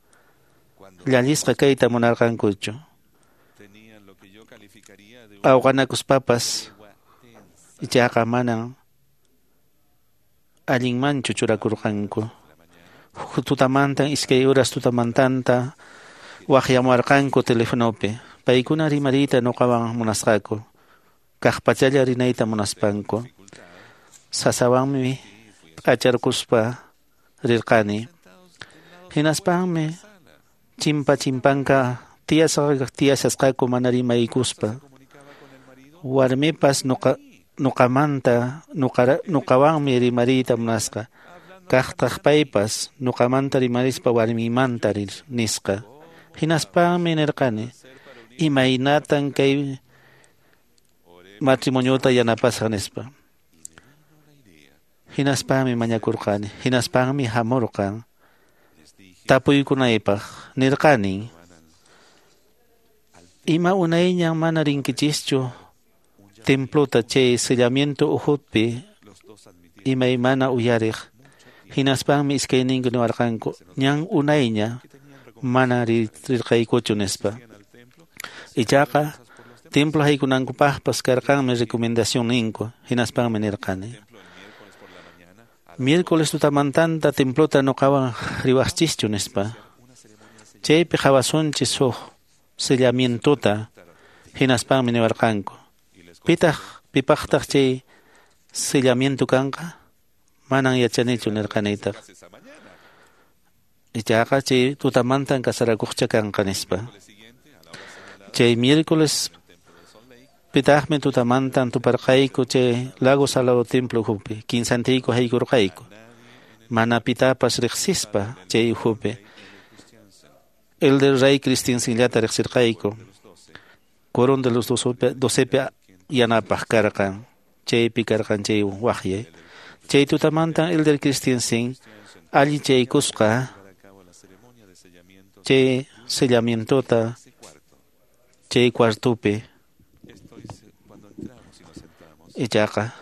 llallisqa kayta munarqankuchu. Awqanakuspapas ichaqa manan allinmanchu churakurqanku. Huk tutamantan 2 horas tutamantanta waqyamuwarqanku telefonopi. Paykuna rimariyta nuqawan munasqaku. Kaqpachalla rinayta munaspanku. Sasawanmi p'acharquspa rirqani. Hinaspanmi chimpa chimpanka tiyashasqaku mana rimaykuspa. Warmipas nuqamanta nuqawanmi rimariyta munasqa. Kaqtaq paypas nuqamanta rimarispa warmimanta nisqa. Hinaspanmi nirqani, imaynatan kay matrimoniota yanapasaq nispa. Hinaspanmi mañakurqani, hinaspanmi hamurqan tapuykunaypaq. Nirqani, ima unayñan mana rinkichischu templota chay sellamiento uhupi imaymana uyariq. Hinaspanmi iskayninku niwarqanku, ñan unayña mana rirqaykuchu nispa. Ichaqa templo haykunankupaqpas karqanmi recomendación ninku. Hinaspanmi nirqani, miércoles tutamantanta templota nuqawan riwaqchischu nispa. Chaypi qhawasunchis huk sellamientota. Hinaspanmi niwarqanku, pipaqtaq chay sellamiento kanqa? Manan yachanichu nirqanitaq. Ichaqa chay tutamantan kasarakuqcha kanqa nispa. Chay miércoles pitaqmi tutamantan tuparqayku chay Lago Salado templo ukhupi. Kinsantiyku haykurqayku. Mana pitapas riqsispa chay ukhupi. Elder Ray Christensenllata riqsirqayku. Quórum de los docepi yanapaq karqan. Chaypi karqan chay waqyay. Chay tutamantan Elder Christensen allichaykusqa chay sellamientota chay cuartupi. Ichaqa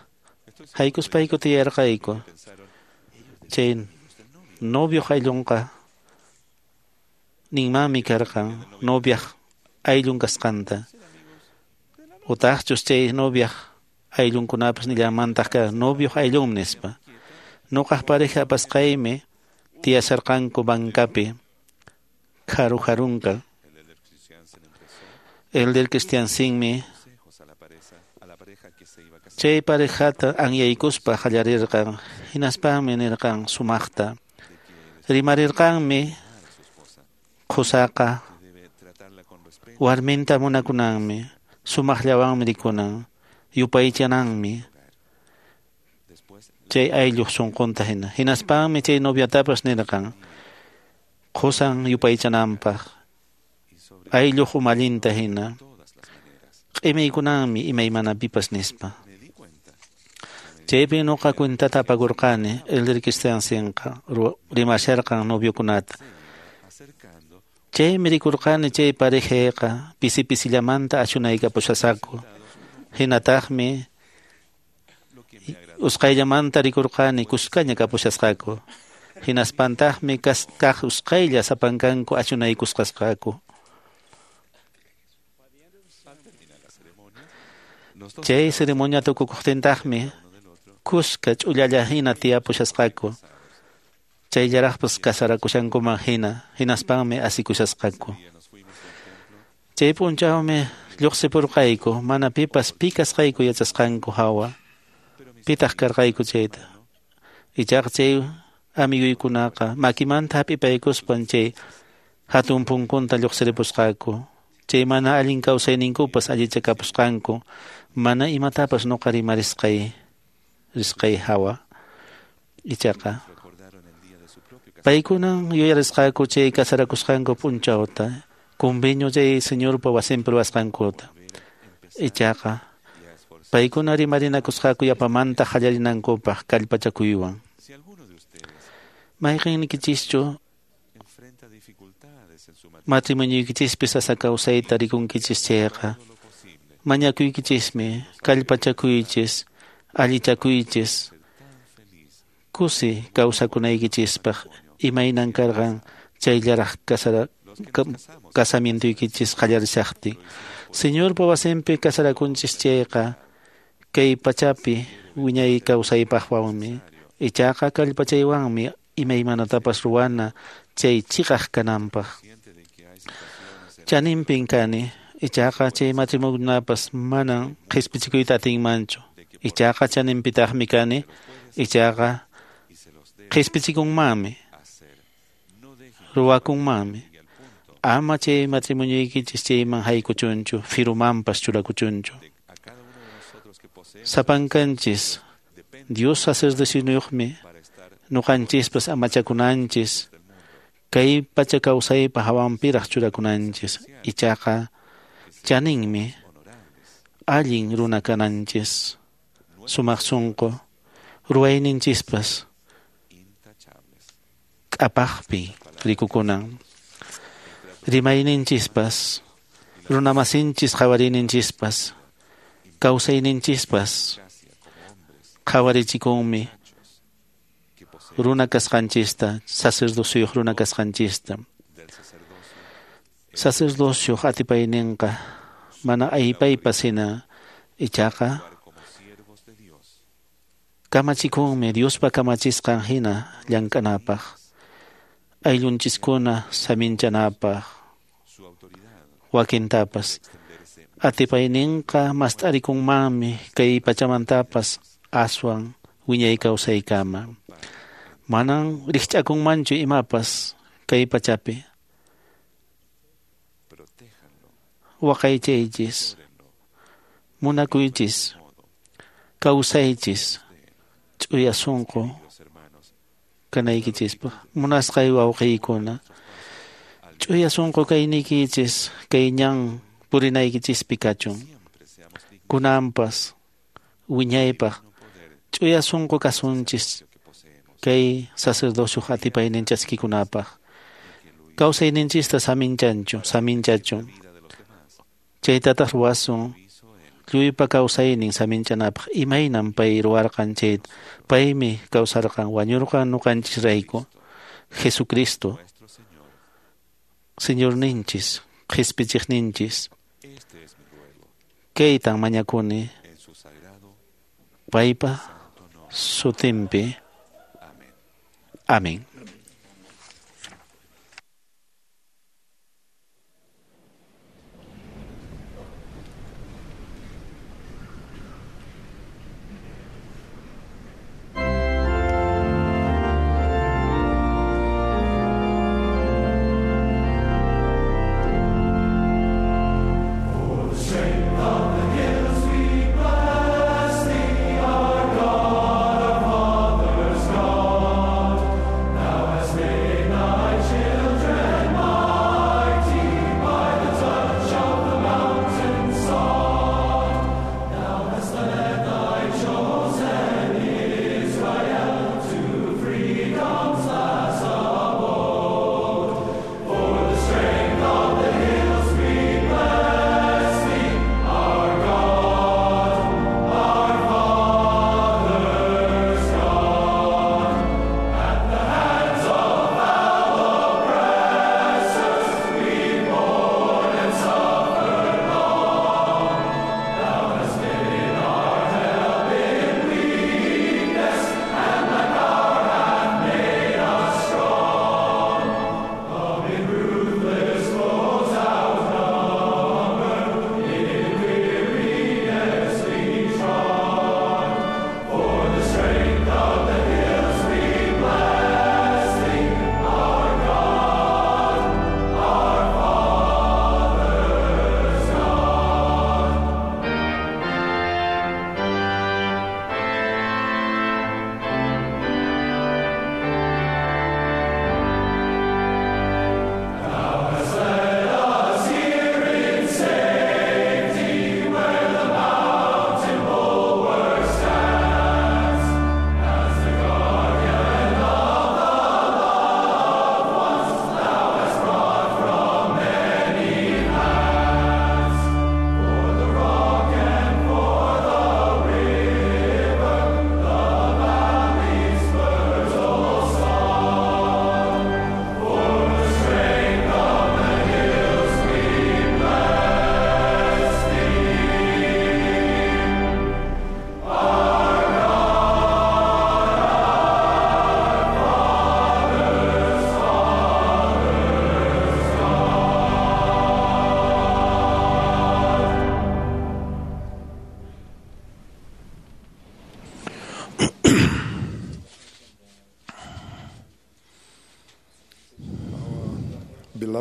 haykuspayku tiyarqayku. Chay novio ayllunqa ninmanmi karqan noviaq ayllun kasqanta. Utaqchus chay noviaq ayllunkunapas nillanmantaq karqan novioq ayllun nispa. Nuqaq pareja apasqaymi tiyasharqanku bancapi kharu-kharunka. Elder Christiansenmi chay parejata anyaykuspa qallarirqan. Hinaspanmi nirqan sumaqta. Rimarirqanmi qusaqa warminta munakunanmi, sumaqllawanmi rikunan, yupaychananmi chay aylluq sunqunta hina. Hinaspanmi chay noviatapas nirqan qusan yupaychananpaq, aylluq umallinta hina, q'imaykunanmi imaymanapipas nispa. Chaypi nuqa cuentata apakurqani Elder Christensenqa rimasharqan noviokunata. Chaymi rikurqani chay parejayqa pisi pisillamanta ashunaykapushasqaku. Hinataqmi usqhayllamanta rikurqani kuskaña kapushasqaku. Hinaspantaqmi kaq usqhaylla sapankanku ashunaykusqasqaku. Chay ceremonia tukukuqtintaqmi kuska ch'ullalla hina tiyapushasqaku. Chayllaraqpas kasarakushankuman hina, hinaspanmi asikushasqaku. Chay p'unchawmi lluqsipurqayku, mana pipas pi kasqayku yachasqanku hawa. Pitaq karqayku chayta. Ichaqa chay amiguykunaqa makimanta hap'ipaykuspan chay hatun punkunta lluqsiripusqaku. Chay mana allin kawsayninkupas allichakapusqanku, mana imatapas nuqa rimarisqay risqay hawa. Ichaqa paykunan yuyarisqaku chay kasarakusqanku p'unchawta, convenio chay Señorpa wasinpi ruwasqankuta. Ichaqa paykuna rimarinakusqaku yapamanta qallarinankupaq kallpachakuywan. Mayqinniykichischu Matrimonioykichispi sasa kawsayta rikunkichis chayqa, mañakuykichismi, kallpachakuychis, allichakuychis, kusi kawsakunaykichispaq imaynan karqan chayllaraq casamientoykichis qallarishaqtin. Señorpa wasinpi casarakunchis chayqa kay pachapi wiñay kawsaypaqwanmi, ichaqa kallpachaywanmi imaymanatapas ruwana chay chiqaq kananpaq. Chaninpin kani, ichaqa chay matrimoniokunapas manan qhispichikuyta atinmanchu. Ichaqa chaninpitaqmi kani, ichaqa qhispichikunmanmi, ruwakunmanmi. Ama chay matrimonioykichis chayman haykuchunchu, firumanpas churakuchunchu. Sapankanchis, Dios sacerdocioniyuqmi, nuqanchispas amachakunanchis, kay pacha kawsaypa hawanpiraq churakunanchis, ichaqa chaninmi allin runa kananchis, sumaq sunqu, ruwayninchispas k'apaqpi rikukunan. Rimayninchispas, runamasinchis qhawariyninchispas, kawsayninchispas qhawarichikunmi runa kasqanchista, sacerdocioyuq runa kasqanchista. Sacerdocioq atipayninqa mana aypaypas hina, ichaqa kamachikunmi Diospa kamachisqan hina llank'anapaq, ayllunchiskuna saminchanapaq, wakintapas. Atipayninqa mast'arikunmanmi kay pachamantapas aswan wiñay kawsaykama. Manan rikch'akunmanchu imapas kay pachapi. Waqaychaychis, munakuychis, kawsaychis, ch'uya sunqu kanaykichispaq. Munasqay wawqiykuna, ch'uya sunqu kayniykichis kay ñan purinaykichispi kachun. Kunanpas wiñaypaq ch'uya sunqu kasunchis kay sacerdocioq atipaynin chaskikunapaq. Kawsayninchista saminchachun. Chaytataq ruwasun lluypa kawsaynin saminchanapaq. Imaynan pay ruwarqan chayta, paymi kawsarqan, wañurqan nuqanchisrayku. Jesucristo, Señorninchis, qhispichiqninchis, kaytan mañakuni paypa sutinpi. Amén. Our God, our Father's God.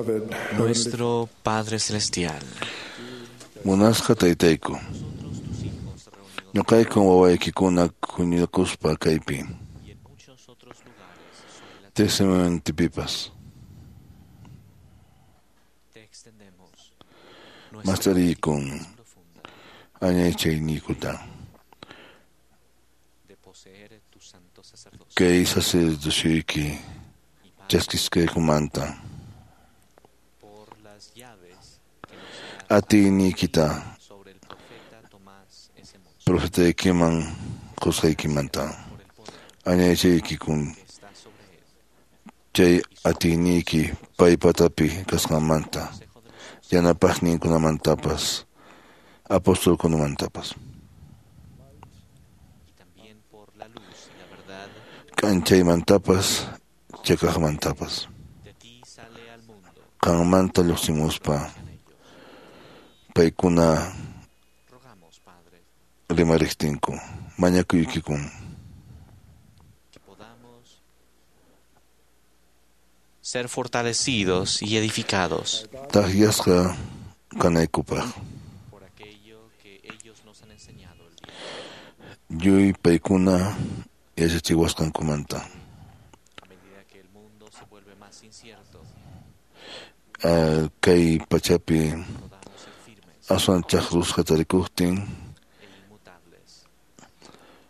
Beloved Nuestro Padre Celestial, Munasqa taytayku. Ñuqayku wawaykikuna huñunakuspa kaypi. Tiqsimantipipas. te extendemos Mastariykun añaychayniykuta. de poseer tu santo sacerdocio Kay sacerdocioyki chaskisqaykumanta. por las llaves que nos das Atiyniykita sobre el profeta Tomás S. Monson, profetaykiman qusqaykimanta. Añaychaykikun que está sobre él, chay atiyniyki paypatapi kasqanmanta. Yanapaqninkunamantapas, apostolkunamantapas. y también por la luz y la verdad K'anchaymantapas, chakaqmantapas. de ti sale al mundo. Qanmanta lluqsimuspa paykuna Rogamos, Padre, rimariqtinku, mañakuykikun. que podamos ser fortalecidos y edificados Takyasqa kanaykupaq. por aquello que ellos nos han enseñado el día Lluy paykuna yachachiwasqankumanta. A medida que el mundo se vuelve más incierto, Kay pachapi podamos ser firmes aswan chaqrusqa tarikuqtin e inmutables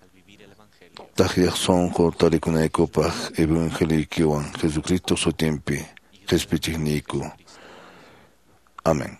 al vivir el Evangelio. takyaq sunqu tarikunaykupaq evangeliykiwan Jesucristo sutinpi qhispichiqniyku. Amén.